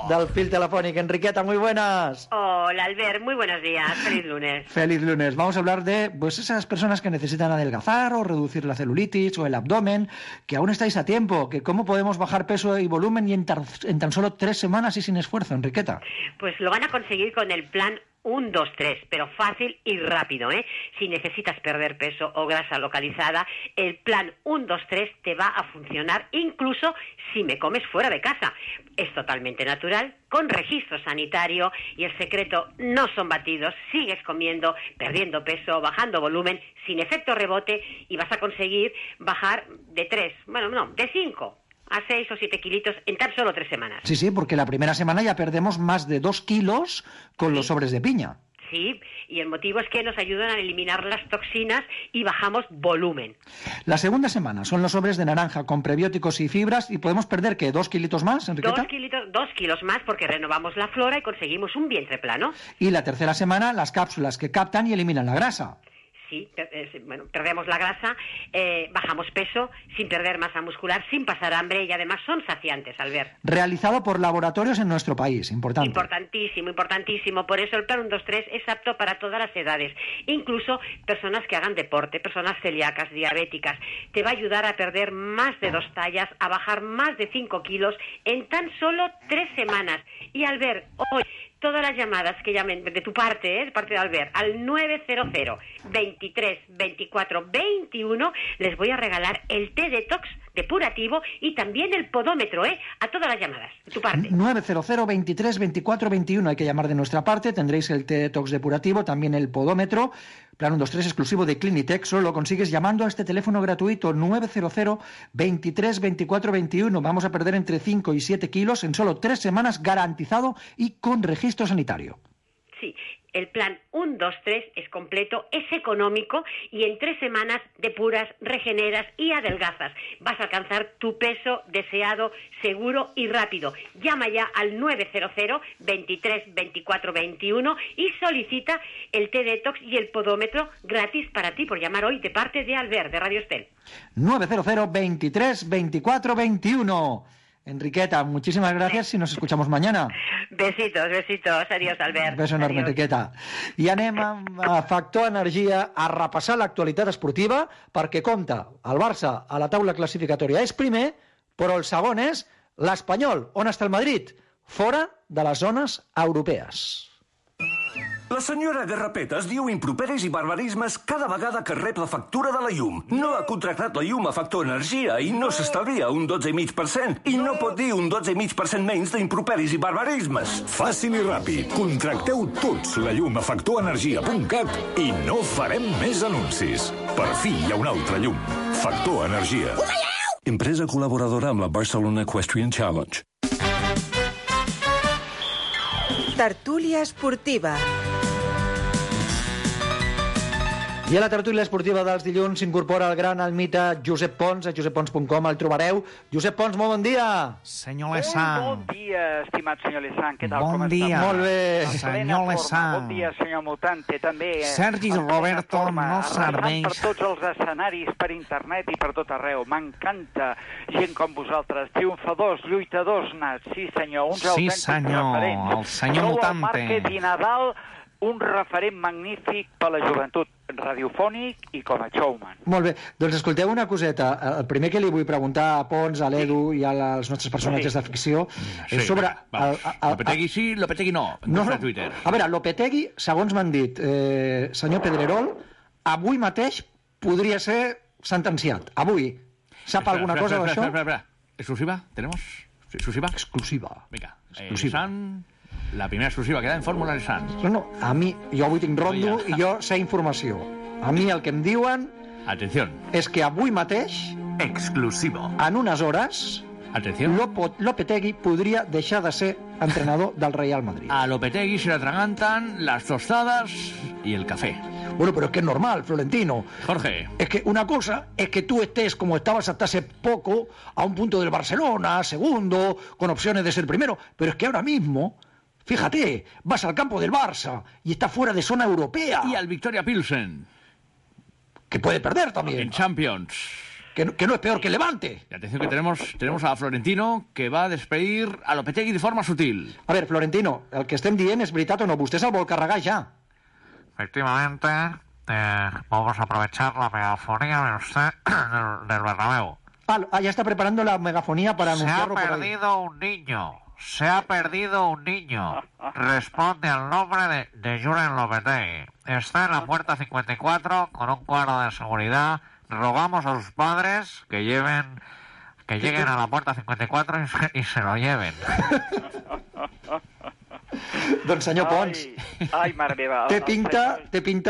del fil telefònic. Enriqueta, muy buenas. Hola, Albert, muy buenos días. Feliz lunes. Feliz lunes. Vamos a hablar de esas personas que necesitan adelgazar o reducir la celulitis o el abdomen, que aún estáis a tiempo, que cómo podemos bajar peso y volumen y en tan solo 3 semanas y sin esfuerzo, Enriqueta. Pues lo van a conseguir con el plan 1, 2, 3, pero fácil y rápido, ¿eh? Si necesitas perder peso o grasa localizada, el plan 1, 2, 3 te va a funcionar incluso si me comes fuera de casa. Es totalmente natural, con registro sanitario, y el secreto no son batidos. Sigues comiendo, perdiendo peso, bajando volumen, sin efecto rebote, y vas a conseguir bajar de 5 a 6 o 7 kilitos en tan solo 3 semanas. Sí, porque la primera semana ya perdemos más de 2 kilos con los sobres de piña. Sí, y el motivo es que nos ayudan a eliminar las toxinas y bajamos volumen. La segunda semana son los sobres de naranja con prebióticos y fibras, y podemos perder, ¿qué? ¿2 kilitos más, Enriqueta? 2 kilos más, porque renovamos la flora y conseguimos un vientre plano. Y la tercera semana, las cápsulas que captan y eliminan la grasa. Sí, perdemos la grasa, bajamos peso sin perder masa muscular, sin pasar hambre, y además son saciantes, Albert. Realizado por laboratorios en nuestro país, importante. Importantísimo. Por eso el plan 1, 2, 3 es apto para todas las edades, incluso personas que hagan deporte, personas celíacas, diabéticas. Te va a ayudar a perder más de 2 tallas, a bajar más de 5 kilos en tan solo 3 semanas. Y Albert, hoy todas las llamadas que llamen de tu parte, de parte de Albert, al 900 23 24 21, les voy a regalar el té detox depurativo y también el podómetro, a todas las llamadas de tu parte. 900 23 24 21, hay que llamar de nuestra parte, tendréis el té detox depurativo, también el podómetro. Plan 1, 2, 3 exclusivo de Clinitec, solo lo consigues llamando a este teléfono gratuito 900 23 24 21. Vamos a perder entre 5 y 7 kilos en solo 3 semanas, garantizado y con registro sanitario. Sí, el plan 1, 2, 3 es completo, es económico, y en 3 semanas depuras, regeneras y adelgazas. Vas a alcanzar tu peso deseado, seguro y rápido. Llama ya al 900 23 24 21 y solicita el té detox y el podómetro gratis para ti, por llamar hoy de parte de Albert, de Radio Estel. 900 23 24 21. Enriqueta, muchísimas gracias y nos escuchamos mañana. Besitos. Adiós, Albert. Beso enorme, Enriqueta. I anem a Factor Energia a repassar l'actualitat esportiva, perquè compta, el Barça a la taula classificatòria és primer, però el segon és l'Espanyol. On està el Madrid? Fora de les zones europees. La senyora Garrapetes diu improperis i barbarismes cada vegada que rep la factura de la llum. No ha contractat la llum a Factor Energia i no s'estalvia un 12,5%. I no pot dir un 12,5% menys d'improperis i barbarismes. Fàcil i ràpid. Contracteu tots la llum a factorenergia.cat i no farem més anuncis. Per fi hi ha una altra llum. Factor Energia. Empresa col·laboradora amb la Barcelona Equestrian Challenge. Tertúlia esportiva. I a la tertúlia esportiva dels dilluns s'incorpora el gran, el mite Josep Pons, a joseppons.com el trobareu. Josep Pons, molt bon dia. Senyor Lessant. Bon dia, estimat senyor Lessant. Què tal? Bon dia. Molt bé. Senyor Lessant. Bon dia, senyor Mutante, també. Sergi Roberto no serveix. Per tots els escenaris, per internet i per tot arreu. M'encanta gent com vosaltres, triomfadors, lluitadors nats. Sí, senyor, uns autèntics referents. El senyor Mutante. Sou el Márquez i Nadal, un referent magnífic per la joventut, radiofònic i com a showman. Molt bé, doncs escolteu una coseta. El primer que li vull preguntar a Pons, a l'Edu i als nostres personatges de ficció és sobre... Lopetegui sí, Lopetegui no. No. A veure, Lopetegui, segons m'han dit, senyor Pedrerol, avui mateix podria ser sentenciat. Avui. Sap alguna cosa d'això? Espera. ¿Exclusiva? ¿Tenemos? ¿Exclusiva? Exclusiva. Venga, la primera exclusiva que da en Fórmula Nissan. No, a mi, jo avui tinc rondo i jo sé informació. A mi el que em diuen... Atenció. És que avui mateix... Exclusivo. En unes hores... Atenció. Lopetegui podria deixar de ser entrenador del Real Madrid. A Lopetegui se le atragantan las tostadas y el café. Bueno, pero es que es normal, Florentino. Jorge. Es que una cosa es que tú estés como estabas hasta hace poco, a un punto del Barcelona, segundo, con opciones de ser primero, pero es que ahora mismo, fíjate, vas al campo del Barça y estás fuera de zona europea. Y al Victoria Pilsen. Que puede perder también. En Champions. Que no es peor que el Levante. Y atención que tenemos a Florentino que va a despedir a Lopetegui de forma sutil. A ver, Florentino, el que estem dient és veritat o no? Vostè se'l vol carregar ja. Efectivamente, vamos a aprovechar la megafonía de usted del Bernabéu. Ya está preparando la megafonía para anunciarlo por ahí. Se ha perdido un niño. Responde al nombre de Julen Lopetegui. Está en la puerta 54 con un guarda de seguridad. Rogamos a sus padres que lleguen a la puerta 54 y se lo lleven. Doncs senyor Pons, ai, mare meva. té pinta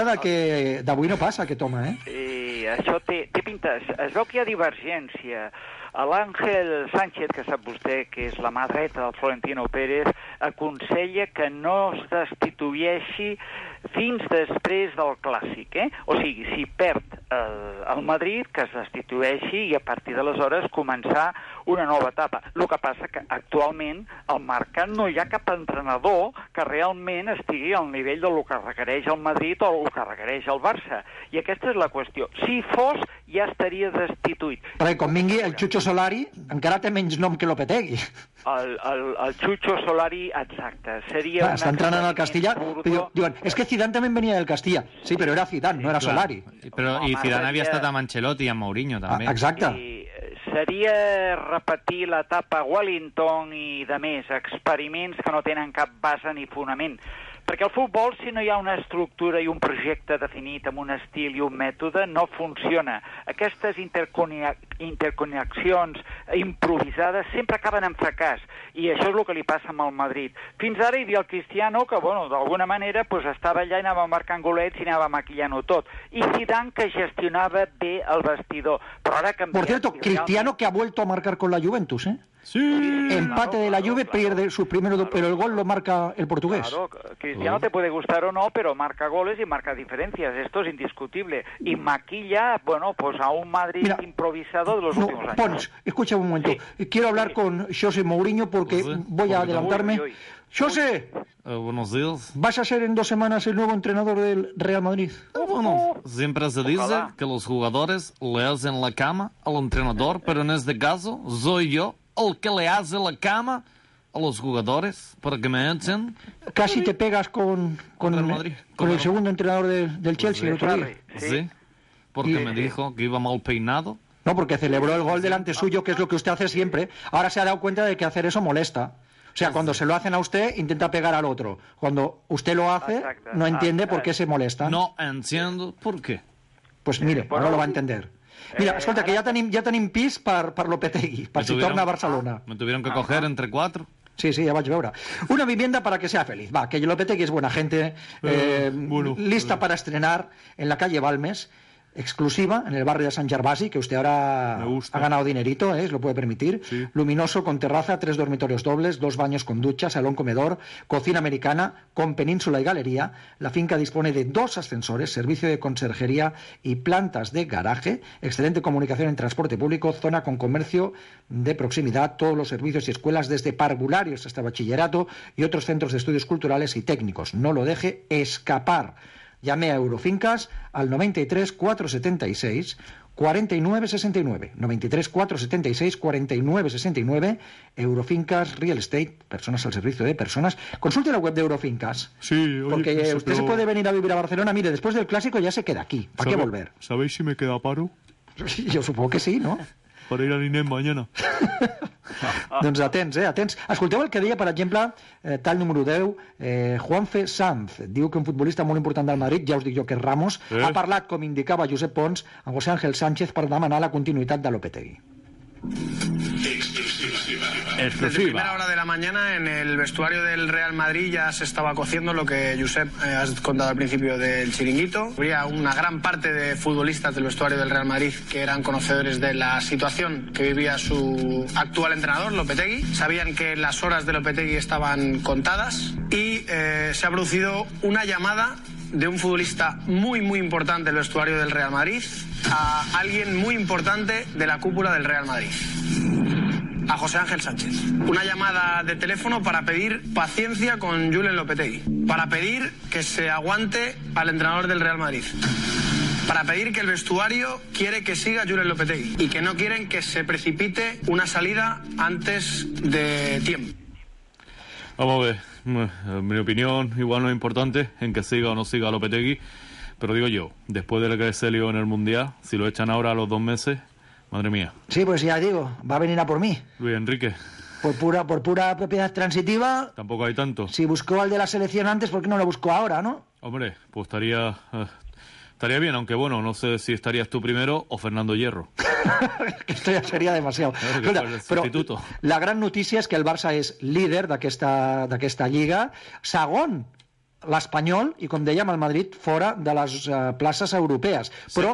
de que d'avui no passa aquest home, eh? Sí, això té pinta. Es veu que hi ha divergència. L'Àngel Sánchez, que sap vostè que és la mà dreta del Florentino Pérez, aconsella que no es destitueixi fins després del Clàssic, eh? O sigui, si perd el Madrid, que es destitueixi i a partir d'aleshores començar una nova etapa. El que passa que actualment al mercat no hi ha cap entrenador que realment estigui al nivell del que requereix el Madrid o el que requereix el Barça. I aquesta és la qüestió. Si fos, ja estaria destituït. Perquè com vingui el Chucho Solari, encara té menys nom que Lopetegui. El Chucho Solari, exacte. Seria està entrenant al Castilla. Diuen, és que Zidane també venia del Castilla. Sí, però era Zidane, no era Solari. I Zidane havia estat amb Ancelotti i amb Mourinho, també. Exacte. Seria repetir l'etapa Wellington i de més, experiments que no tenen cap base ni fonament. Perquè el futbol, si no hi ha una estructura i un projecte definit amb un estil i un mètode, no funciona. Aquestes interconnexions improvisades sempre acaben en fracàs, i això és el que li passa amb el Madrid. Fins ara hi havia el Cristiano, que, bueno, d'alguna manera pues, estava allà i anava marcant golets i anava maquillant-ho tot. I Zidane, que gestionava bé el vestidor. Però ara canvia. Por cierto, Cristiano que ha vuelto a marcar con la Juventus, ¿eh? Sí. Empate de la Juve, pierde sus primeros dos, pero el gol lo marca el portugués. Claro, Cristiano te puede gustar o no, pero marca goles y marca diferencias. Esto es indiscutible. Y maquilla, bueno, pues a un Madrid improvisado de los últimos años. Pons, escucha un momento. Sí. Quiero hablar con José Mourinho porque voy a adelantarme. José, buenos días. ¿Vas a ser en 2 semanas el nuevo entrenador del Real Madrid? Bueno, siempre se dice que los jugadores le hacen la cama al entrenador, pero en este caso soy yo el que le hace la cama a los jugadores para que me echen. Casi te pegas con el segundo entrenador del Chelsea el otro día. Sí, porque me dijo que iba mal peinado. No, porque celebró el gol delante suyo, que es lo que usted hace siempre. Ahora se ha dado cuenta de que hacer eso molesta. O sea, cuando se lo hacen a usted, intenta pegar al otro. Cuando usted lo hace, no entiende por qué se molesta. No entiendo por qué. Pues mire, ahora lo va a entender. Mira, escolta, que ja tenim pis per Lopetegui, per si torna a Barcelona. Me tuvieron que coger entre 4. Sí, ya vaig veure. Una vivienda para que sea feliz. Va, que Lopetegui es buena gente, lista para estrenar en la calle Balmes, exclusiva en el barrio de San Gervasi, que usted ahora ha ganado dinerito, lo puede permitir. Sí. Luminoso, con terraza, 3 dormitorios dobles, 2 baños con ducha, salón comedor, cocina americana, con península y galería. La finca dispone de 2 ascensores, servicio de conserjería y plantas de garaje, excelente comunicación en transporte público, zona con comercio de proximidad, todos los servicios y escuelas desde parvularios hasta bachillerato y otros centros de estudios culturales y técnicos. No lo deje escapar. Llame a Eurofincas al 93 476 49 69. 93 476 49 69. Eurofincas Real Estate, personas al servicio de personas. Consulte la web de Eurofincas. Sí, oye, porque usted se puede venir a vivir a Barcelona. Mire, después del Clásico ya se queda aquí. ¿Para qué volver? ¿Sabéis si me queda paro? Yo supongo que sí, ¿no? Para ir a l'INEM mañana. Doncs atents, atents. Escolteu el que deia, per exemple, tal número 10, Juanfe Sanz. Diu que un futbolista molt important del Madrid, ja us dic jo que és Ramos, ha parlat, com indicava Josep Pons, a José Ángel Sánchez per demanar la continuïtat de Lopetegui. Desde primera hora de la mañana en el vestuario del Real Madrid ya se estaba cociendo lo que Josep has contado al principio del chiringuito. Había una gran parte de futbolistas del vestuario del Real Madrid que eran conocedores de la situación que vivía su actual entrenador, Lopetegui. Sabían que las horas de Lopetegui estaban contadas y se ha producido una llamada de un futbolista muy importante del vestuario del Real Madrid a alguien muy importante de la cúpula del Real Madrid, a José Ángel Sánchez. Una llamada de teléfono para pedir paciencia con Julen Lopetegui, para pedir que se aguante al entrenador del Real Madrid, para pedir que el vestuario quiere que siga Julen Lopetegui y que no quieren que se precipite una salida antes de tiempo. Vamos a ver, mi opinión igual no es importante en que siga o no siga Lopetegui, pero digo yo, después de lo que se lió en el Mundial, si lo echan ahora a los 2 meses, madre mía. Sí, pues ya digo, va a venir a por mí. Luis Enrique. Por pura propiedad transitiva. Tampoco hay tanto. Si buscó al de la selección antes, ¿por qué no lo buscó ahora, no? Hombre, pues estaría bien, aunque bueno, no sé si estarías tú primero o Fernando Hierro. Esto ja seria demasiado. Escolta, però la gran notícia és que el Barça és líder d'aquesta lliga, segon l'Espanyol i, com dèiem, el Madrid fora de les places europees. Però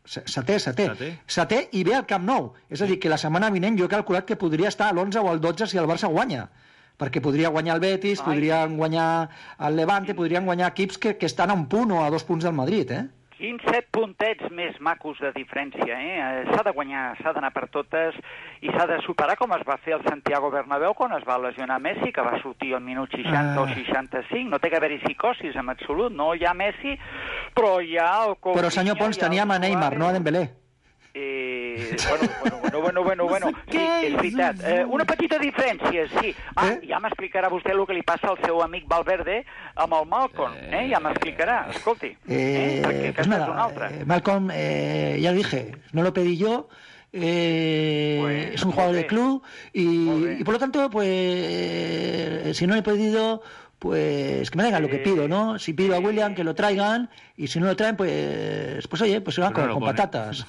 setè i ve al Camp Nou. És a dir, que la setmana vinent jo he calculat que podria estar a l'11 o al 12 si el Barça guanya, perquè podria guanyar el Betis, podrien guanyar el Levante, podrien guanyar equips que estan a un punt o a 2 punts del Madrid, Quins 7 puntets més macos de diferència, S'ha de guanyar, s'ha d'anar per totes i s'ha de superar com es va fer el Santiago Bernabéu quan es va lesionar Messi, que va sortir al minut 60 o 65. No té que haver-hi psicosis en absolut, no hi ha Messi, però hi ha el Coutinho... Però, senyor Pons, teníem a Neymar, no a Dembélé. Bueno, sí, és veritat. Una petita diferència, sí. Ja m'explicarà vostè el que li passa al seu amic Valverde amb el Malcolm, ja m'explicarà, escolti. Perquè aquesta és una altra. Malcolm, ya lo dije, no lo pedí yo, es un jugador de club y por lo tanto, pues, si no lo he pedido... Pues que me traigan lo que pido, ¿no? Si pido a William que lo traigan y si no lo traen, pues oye, pues se van con patatas.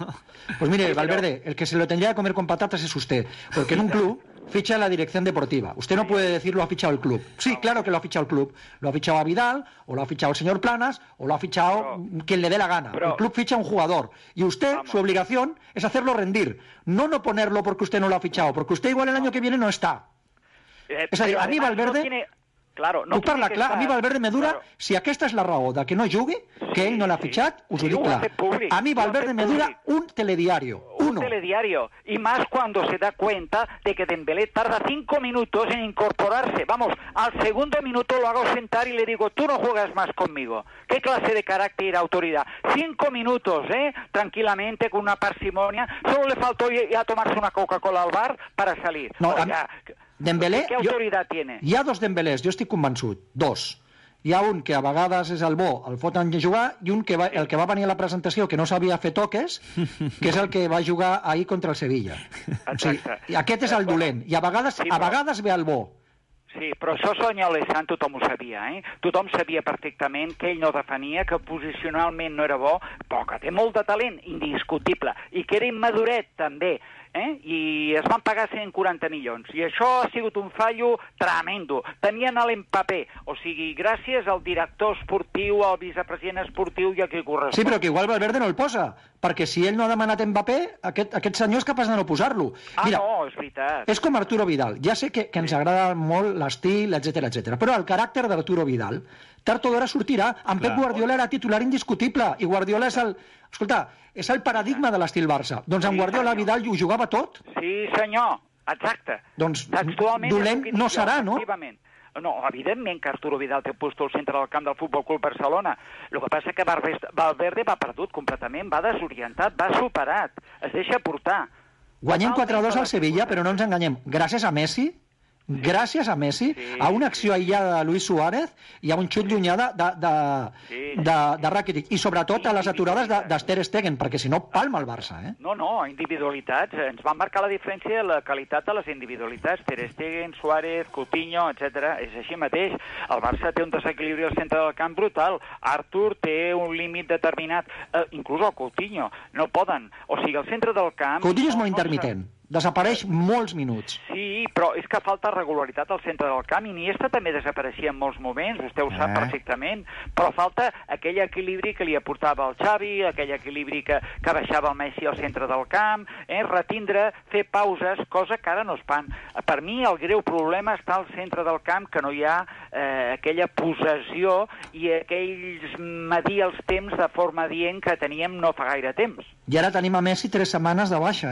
Pues mire, Valverde, el que se lo tendría que comer con patatas es usted, porque en un club ficha la dirección deportiva. Usted no puede decir lo ha fichado el club. Sí, claro que lo ha fichado el club. Lo ha fichado a Vidal, o lo ha fichado el señor Planas, o lo ha fichado quien le dé la gana. El club ficha a un jugador. Y usted, su obligación es hacerlo rendir. No ponerlo porque usted no lo ha fichado, porque usted igual el año que viene no está. Es decir, a mí Valverde... Claro, no parla clar, a mi Valverde me dura, si aquesta és la raó de que no jugui, que ell no l'ha fitxat, us ho dic clar. A mi Valverde me dura un telediario. Un telediario. Y más cuando se da cuenta de que Dembélé tarda 5 minutos en incorporarse. Vamos, al segundo minuto lo hago sentar y le digo, tú no juegas más conmigo. ¿Qué clase de carácter y autoridad? 5 minutos, tranquilamente, con una parsimonia. Solo le faltó ya tomarse una Coca-Cola al bar para salir. No, Dembélé, ¿qué autoridad tiene? Hi ha 2 Dembélés, jo estic convençut, 2. Hi ha un que a vegades és el bo, el foten jugar, i un que el que va venir a la presentació, que no sabia fer toques, que és el que va jugar ahir contra el Sevilla. O sigui, aquest és el dolent, i a vegades ve el bo. Sí, però això senyor Alessand tothom ho sabia, Tothom sabia perfectament que ell no defenia, que posicionalment no era bo, però que té molt de talent, indiscutible, i que era immaduret també, i es van pagar 140 milions. I això ha sigut un fallo tremendo. Tenien l'Mbappé, o sigui, gràcies al director esportiu, al vicepresident esportiu i a qui correspon. Sí, però que igual Valverde no el posa, perquè si ell no ha demanat Mbappé, aquest senyor és capaç de no posar-lo. Mira, no, és veritat. És com Arturo Vidal. Ja sé que ens agrada molt l'estil, etc, però el caràcter d'Arturo Vidal, tard o d'hora sortirà. En Pep Guardiola era titular indiscutible, i Guardiola és el... Escolta, és el paradigma de l'estil Barça. Doncs en Guardiola Vidal ho jugava tot. Sí, senyor, exacte. Doncs dolent no serà, no? No, evidentment que Arturo Vidal té puesto al centre del camp del Futbol Club Barcelona. El que passa és que Valverde va perdut completament, va desorientat, va superat, es deixa portar. Guanyem 4-2 al Sevilla, però no ens enganyem. Gràcies a Messi, a una acció aïllada de Luis Suárez i a un xut llunyà de Rakitic, i sobretot a les aturades d'Ter Stegen, perquè si no palma el Barça. No, individualitats. Ens van marcar la diferència la qualitat de les individualitats. Ter Stegen, Suárez, Coutinho, etc. És així mateix. El Barça té un desequilibri al centre del camp brutal. Artur té un límit determinat. Inclús el Coutinho. No poden. O sigui, al centre del camp... Coutinho és molt intermitent. Desapareix molts minuts. Sí, però és que falta regularitat al centre del camp. Iniesta també desapareixia en molts moments, vostè ho sap perfectament, però falta aquell equilibri que li aportava el Xavi, aquell equilibri que baixava el Messi al centre del camp, retindre, fer pauses, cosa que ara no es fan. Per mi el greu problema està al centre del camp, que no hi ha aquella possessió i aquells medir els temps de forma dient que teníem no fa gaire temps. I ara tenim a Messi 3 setmanes de baixa,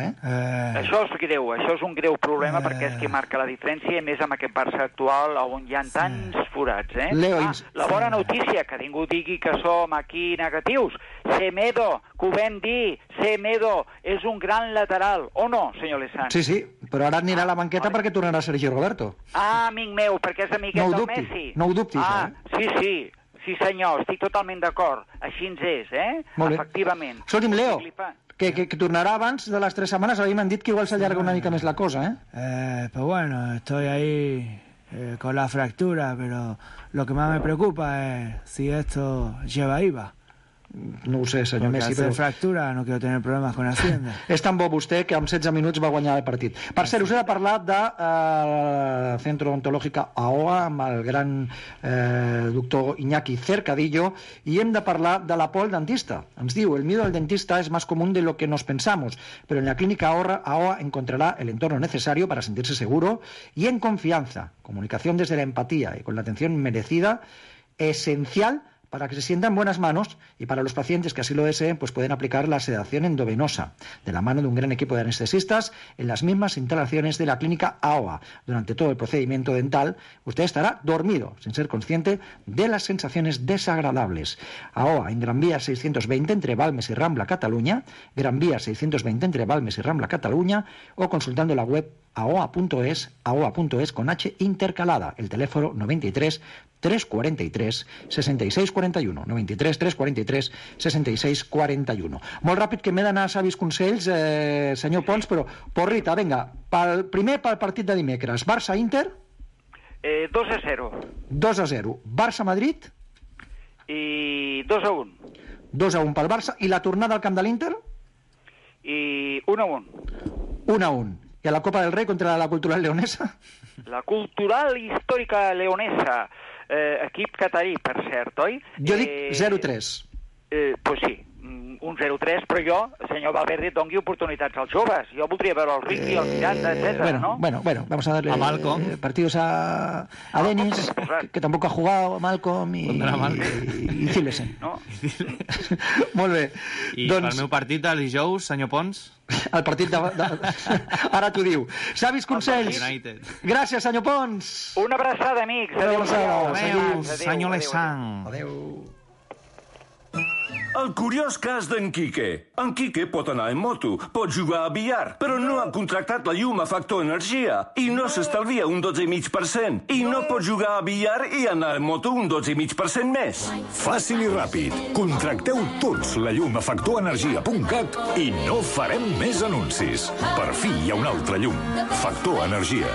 Això és greu, això és un greu problema perquè és qui marca la diferència, i més amb aquest Barça actual on hi ha tants forats, Leo, la bona notícia, que ningú digui que som aquí negatius, Semedo, que ho vam dir, Semedo és un gran lateral, o no, senyor Lezán? Sí, però ara anirà a la banqueta perquè tornarà Sergio Roberto. Amic meu, perquè és amiguet del Messi. No ho dubtis, Sí, senyor, estic totalment d'acord. Així ens és, Molt bé. Efectivament. Escolti'm, Leo, que tornarà abans de les 3 setmanes. A mi m'han dit que igual s'allarga una mica més la cosa, Pues bueno, estoy ahí con la fractura, pero lo que más me preocupa es si esto lleva IVA. No ho sé, senyor Messi, però... fractura, no quiero tener problemas con Hacienda. És tan bo vostè que en 16 minuts va guanyar el partit. Per cert, us he de parlar de Centro Odontológica AOA amb el gran doctor Iñaki Cercadillo, y hem de parlar de la por al dentista. Ens diu, el miedo al dentista es más común de lo que nos pensamos, pero en la clínica AOA encontrará el entorno necesario para sentirse seguro y en confianza. Comunicación desde la empatía y con la atención merecida, esencial para que se sientan en buenas manos, y para los pacientes que así lo deseen, pues pueden aplicar la sedación endovenosa de la mano de un gran equipo de anestesistas en las mismas instalaciones de la clínica AOA. Durante todo el procedimiento dental, usted estará dormido, sin ser consciente de las sensaciones desagradables. AOA en Gran Vía 620 entre Balmes y Rambla, Cataluña, Gran Vía 620 entre Balmes y Rambla, Cataluña, o consultando la web aoa.es con H intercalada, el teléfono 93 343 6641, 93 343 6641. Molt ràpid, que m'he d'anar a savis consells, senyor Pons, però porrita, vinga, primer pel partit de dimecres. Barça-Inter? 2-0. 2-0. Barça-Madrid? I 2-1. 2-1 pel Barça. I la tornada al camp de l'Inter? I 1-1. 1-1. I a la Copa del Rei contra la Cultural Leonesa? La Cultural Històrica Leonesa. Equip catarí, per cert, oi? Jo dic 0-3. Pues sí, un 0-3, però jo, senyor Valverde, doni oportunitats als joves. Jo voldria veure el Ricky, el Miranda, etc. ¿no? Bueno, vamos a darle a Malcolm. Partidos a Denis, que tampoco ha jugado, Malcolm i Zilesen. No? Molt bé. I pel meu partit, el dijous, senyor Pons? El partit de... Ara t'ho diu. Savis consells. Gràcies, senyor Pons. Una abraçada, amics. Adéu, senyor Lezán. Adéu. El curiós cas d'en Quique. En Quique pot anar en moto, pot jugar a billar, però no ha contractat la llum a Factor Energia i no s'estalvia un 12,5%. I no pot jugar a billar i anar en moto un 12,5% més. Fàcil i ràpid. Contracteu tots la llum a factorenergia.cat i no farem més anuncis. Per fi hi ha un altre llum. Factor Energia.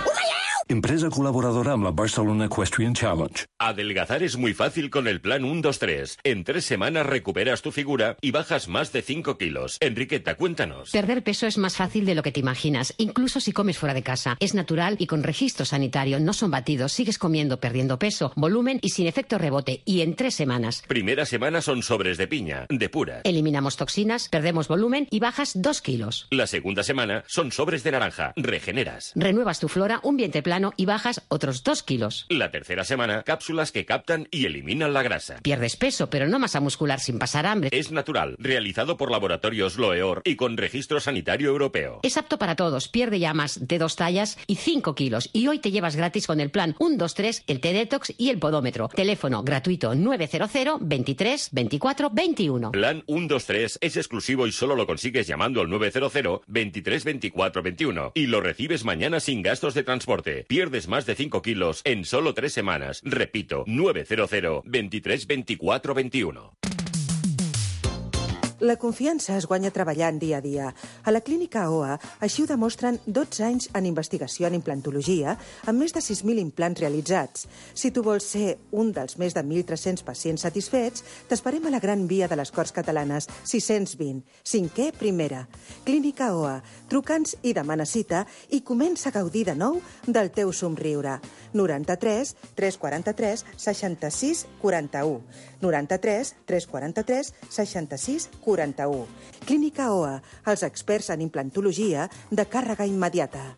Empresa colaboradora amb la Barcelona Equestrian Challenge. Adelgazar es muy fácil con el plan 1-2-3. En 3 semanas recuperas tu figura y bajas más de 5 kilos. Enriqueta, cuéntanos. Perder peso es más fácil de lo que te imaginas, incluso si comes fuera de casa. Es natural y con registro sanitario, no son batidos, sigues comiendo, perdiendo peso, volumen y sin efecto rebote, y en 3 semanas. Primera semana son sobres de piña, de pura. Eliminamos toxinas, perdemos volumen y bajas 2 kilos. La segunda semana son sobres de naranja, regeneras. Renuevas tu flora, un vientre plano y bajas otros 2 kilos. La tercera semana, cápsulas que captan y eliminan la grasa. Pierdes peso, pero no masa muscular sin pasar hambre. Es natural, realizado por Laboratorios Loeor y con registro sanitario europeo. Es apto para todos, pierde ya más de 2 tallas y 5 kilos. Y hoy te llevas gratis con el plan 1-2-3, el T-Detox y el Podómetro. Teléfono gratuito 900 23 24 21. Plan 1-2-3 es exclusivo y solo lo consigues llamando al 900 23 24 21. Y lo recibes mañana sin gastos de transporte. Pierdes más de 5 kilos en solo 3 semanas. Repito, 900 23 24 21. La confiança es guanya treballant dia a dia. A la clínica OA així ho demostren 12 anys en investigació en implantologia amb més de 6.000 implants realitzats. Si tu vols ser un dels més de 1.300 pacients satisfets, t'esperem a la Gran Via de les Corts Catalanes, 620, 5è primera. Clínica OA. Truca'ns i demana cita i comença a gaudir de nou del teu somriure. 93 343 66 41. 93 343 66 41. Clínica OA, els experts en implantologia de càrrega immediata.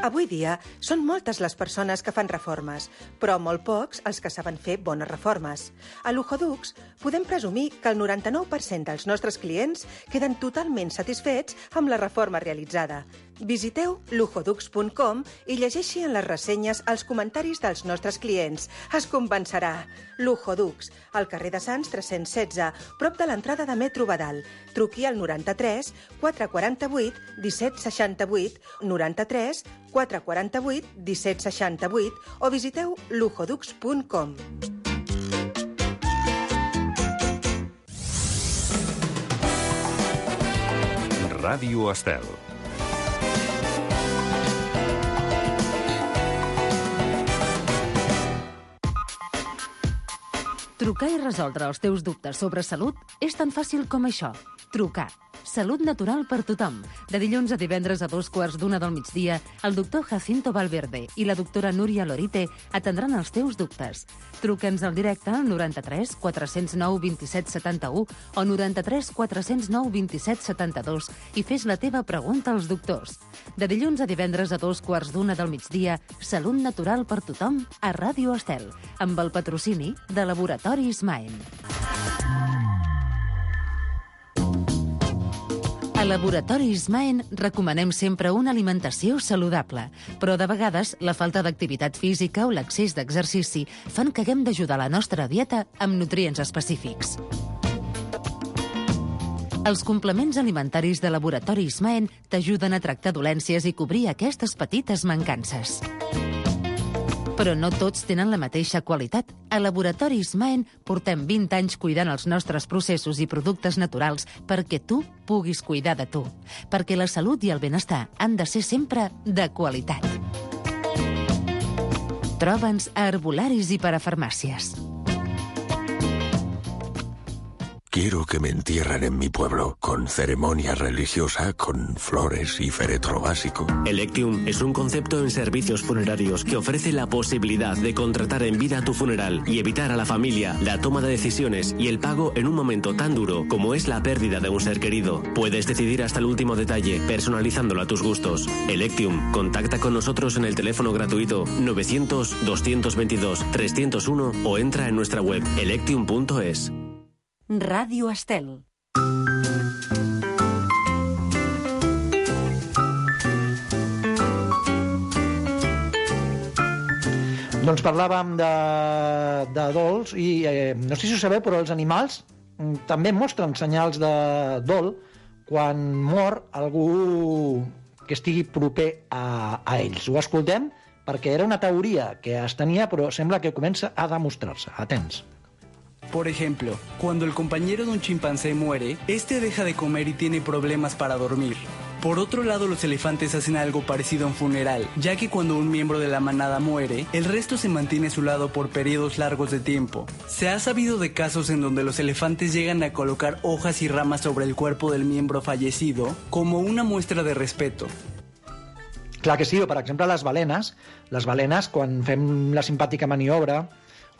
Avui dia són moltes les persones que fan reformes, però molt pocs els que saben fer bones reformes. A Luxodux podem presumir que el 99% dels nostres clients queden totalment satisfets amb la reforma realitzada. Visiteu luxodux.com i llegeixi en les ressenyes els comentaris dels nostres clients. Es convencerà. Luxodux, al carrer de Sants 316, prop de l'entrada de Metro Badal. Truqui al 93 448 1768, 93 448 1768 o visiteu luxodux.com. Ràdio Estel. Trucar i resoldre els teus dubtes sobre salut és tan fàcil com això. Trucar. Salut natural per tothom. De dilluns a divendres a 2:15 del migdia, el doctor Jacinto Valverde i la doctora Núria Lorite atendran els teus dubtes. Truca'ns al directe al 93 409 27 71 o 93 409 27 72 i fes la teva pregunta als doctors. De dilluns a divendres a 2:15 del migdia, Salut natural per tothom a Ràdio Estel, amb el patrocini de Laboratoris Maen. A Laboratoris Maen recomanem sempre una alimentació saludable, però de vegades la falta d'activitat física o l'excés d'exercici fan que haguem d'ajudar la nostra dieta amb nutrients específics. Els complements alimentaris de Laboratoris Maen t'ajuden a tractar dolències i cobrir aquestes petites mancances. Però no tots tenen la mateixa qualitat. A Laboratoris Maen portem 20 anys cuidant els nostres processos i productes naturals perquè tu puguis cuidar de tu. Perquè la salut i el benestar han de ser sempre de qualitat. Troba'ns a herbolaris i parafarmàcies. Quiero que me entierren en mi pueblo, con ceremonia religiosa, con flores y féretro básico. Electium es un concepto en servicios funerarios que ofrece la posibilidad de contratar en vida tu funeral y evitar a la familia la toma de decisiones y el pago en un momento tan duro como es la pérdida de un ser querido. Puedes decidir hasta el último detalle, personalizándolo a tus gustos. Electium, contacta con nosotros en el teléfono gratuito 900-222-301 o entra en nuestra web electium.es. Ràdio Estel. Doncs parlàvem de dols i no sé si ho sabeu, però els animals també mostren senyals de dol quan mor algú que estigui proper a ells. Ho escoltem perquè era una teoria que es tenia, però sembla que comença a demostrar-se. Atents. Por ejemplo, cuando el compañero de un chimpancé muere, este deja de comer y tiene problemas para dormir. Por otro lado, los elefantes hacen algo parecido a un funeral, ya que cuando un miembro de la manada muere, el resto se mantiene a su lado por periodos largos de tiempo. Se ha sabido de casos en donde los elefantes llegan a colocar hojas y ramas sobre el cuerpo del miembro fallecido como una muestra de respeto. Clar que sí, o per exemple les balenes, quan fem la simpàtica maniobra,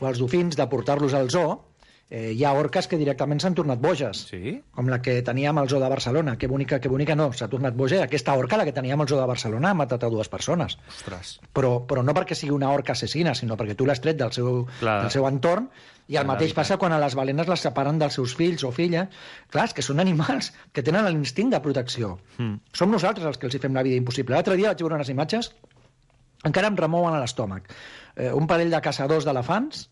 o els dofins de portar-los al zoo, hi ha orques que directament s'han tornat boges. Sí? Com la que teníem al zoo de Barcelona. Que bonica no, s'ha tornat boja. Aquesta orca, la que teníem al zoo de Barcelona, ha matat a 2 persones. Ostres. Però no perquè sigui una orca assassina, sinó perquè tu l'has tret del seu entorn, i el mateix passa quan a les balenes les separen dels seus fills o filles. Clar, és que són animals que tenen l'instint de protecció. Som nosaltres els que els hi fem la vida impossible. L'altre dia vaig veure unes imatges, encara em remouen a l'estómac. Un parell de caçadors d'elefants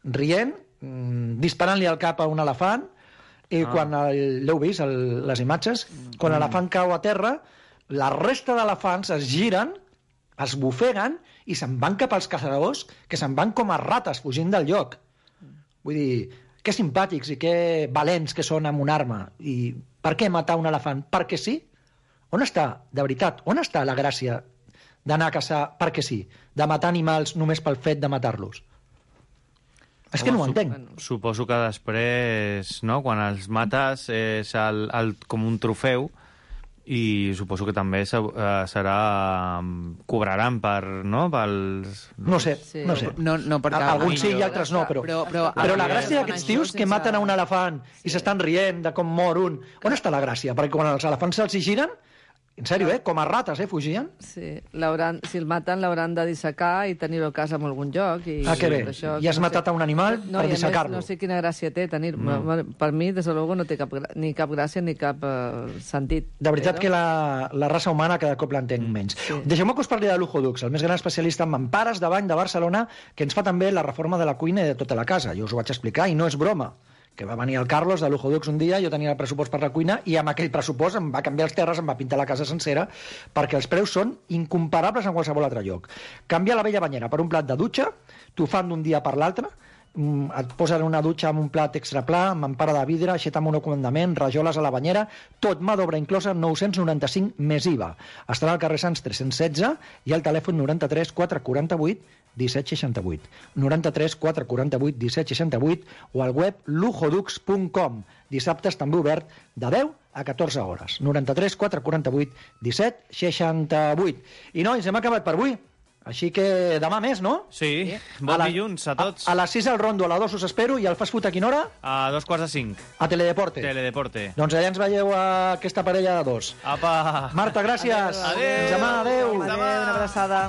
rient, disparant-li al cap a un elefant, i quan l'heu vist, les imatges, quan l'elefant cau a terra, la resta d'elefants es giren, es bufeguen i se'n van cap als caçadors, que se'n van com a rates fugint del lloc. Vull dir, que simpàtics i que valents que són amb una arma. I per què matar un elefant? Perquè sí? On està, de veritat, on està la gràcia d'anar a caçar perquè sí? De matar animals només pel fet de matar-los? És que no ho entenc. Suposo que després, no?, quan els mates és com un trofeu, i suposo que també serà... cobraran per, no?, pels... No sé, no sé. No, perquè alguns sí i altres no, però la gràcia d'aquests tios que maten a un elefant i s'estan rient de com mor un... On està la gràcia? Perquè quan els elefants se'ls giren, en sèrio, com a rates, fugien? Sí, si el maten l'hauran de dissecar i tenir-ho a casa en algun lloc. Que bé, i has matat a un animal per dissecar-lo. No sé quina gràcia té tenir... Per mi, des de luego, no té ni cap gràcia ni cap sentit. De veritat que la raça humana cada cop l'entenc menys. Deixeu-me que us parli de Lujo Dux, el més gran especialista en mampares de bany de Barcelona, que ens fa també la reforma de la cuina i de tota la casa. Jo us ho vaig explicar i no és broma. Que va venir el Carlos de Lujo Dux un dia, jo tenia el pressupost per la cuina i amb aquell pressupost em va canviar els terres, em va pintar la casa sencera, perquè els preus són incomparables en qualsevol altre lloc. Canviar la vella banyera per un plat de dutxa, t'ho fan d'un dia per l'altre, et posen una dutxa amb un plat extra pla, amb empara de vidre, aixeta amb un comandament, rajoles a la banyera, tot mà d'obra inclosa, 995 més IVA. Estarà al carrer Sants 316 i al telèfon 93 448 1768. 93 448 1768 o al web lujoDux.com. Dissabtes també obert de 10 a 14 hores. 93 448 1768. I nois, hem acabat per avui. Així que demà més, no? Sí, bon dilluns a tots. A les 6 al Rondo, a les 2 us espero, i al Fast Food a quina hora? A 2:45. A Teledeporte. Teledeporte. Doncs allà ens veieu a aquesta parella de dos. Apa! Marta, gràcies. Adéu. Fins demà, adéu. Adéu, una abraçada.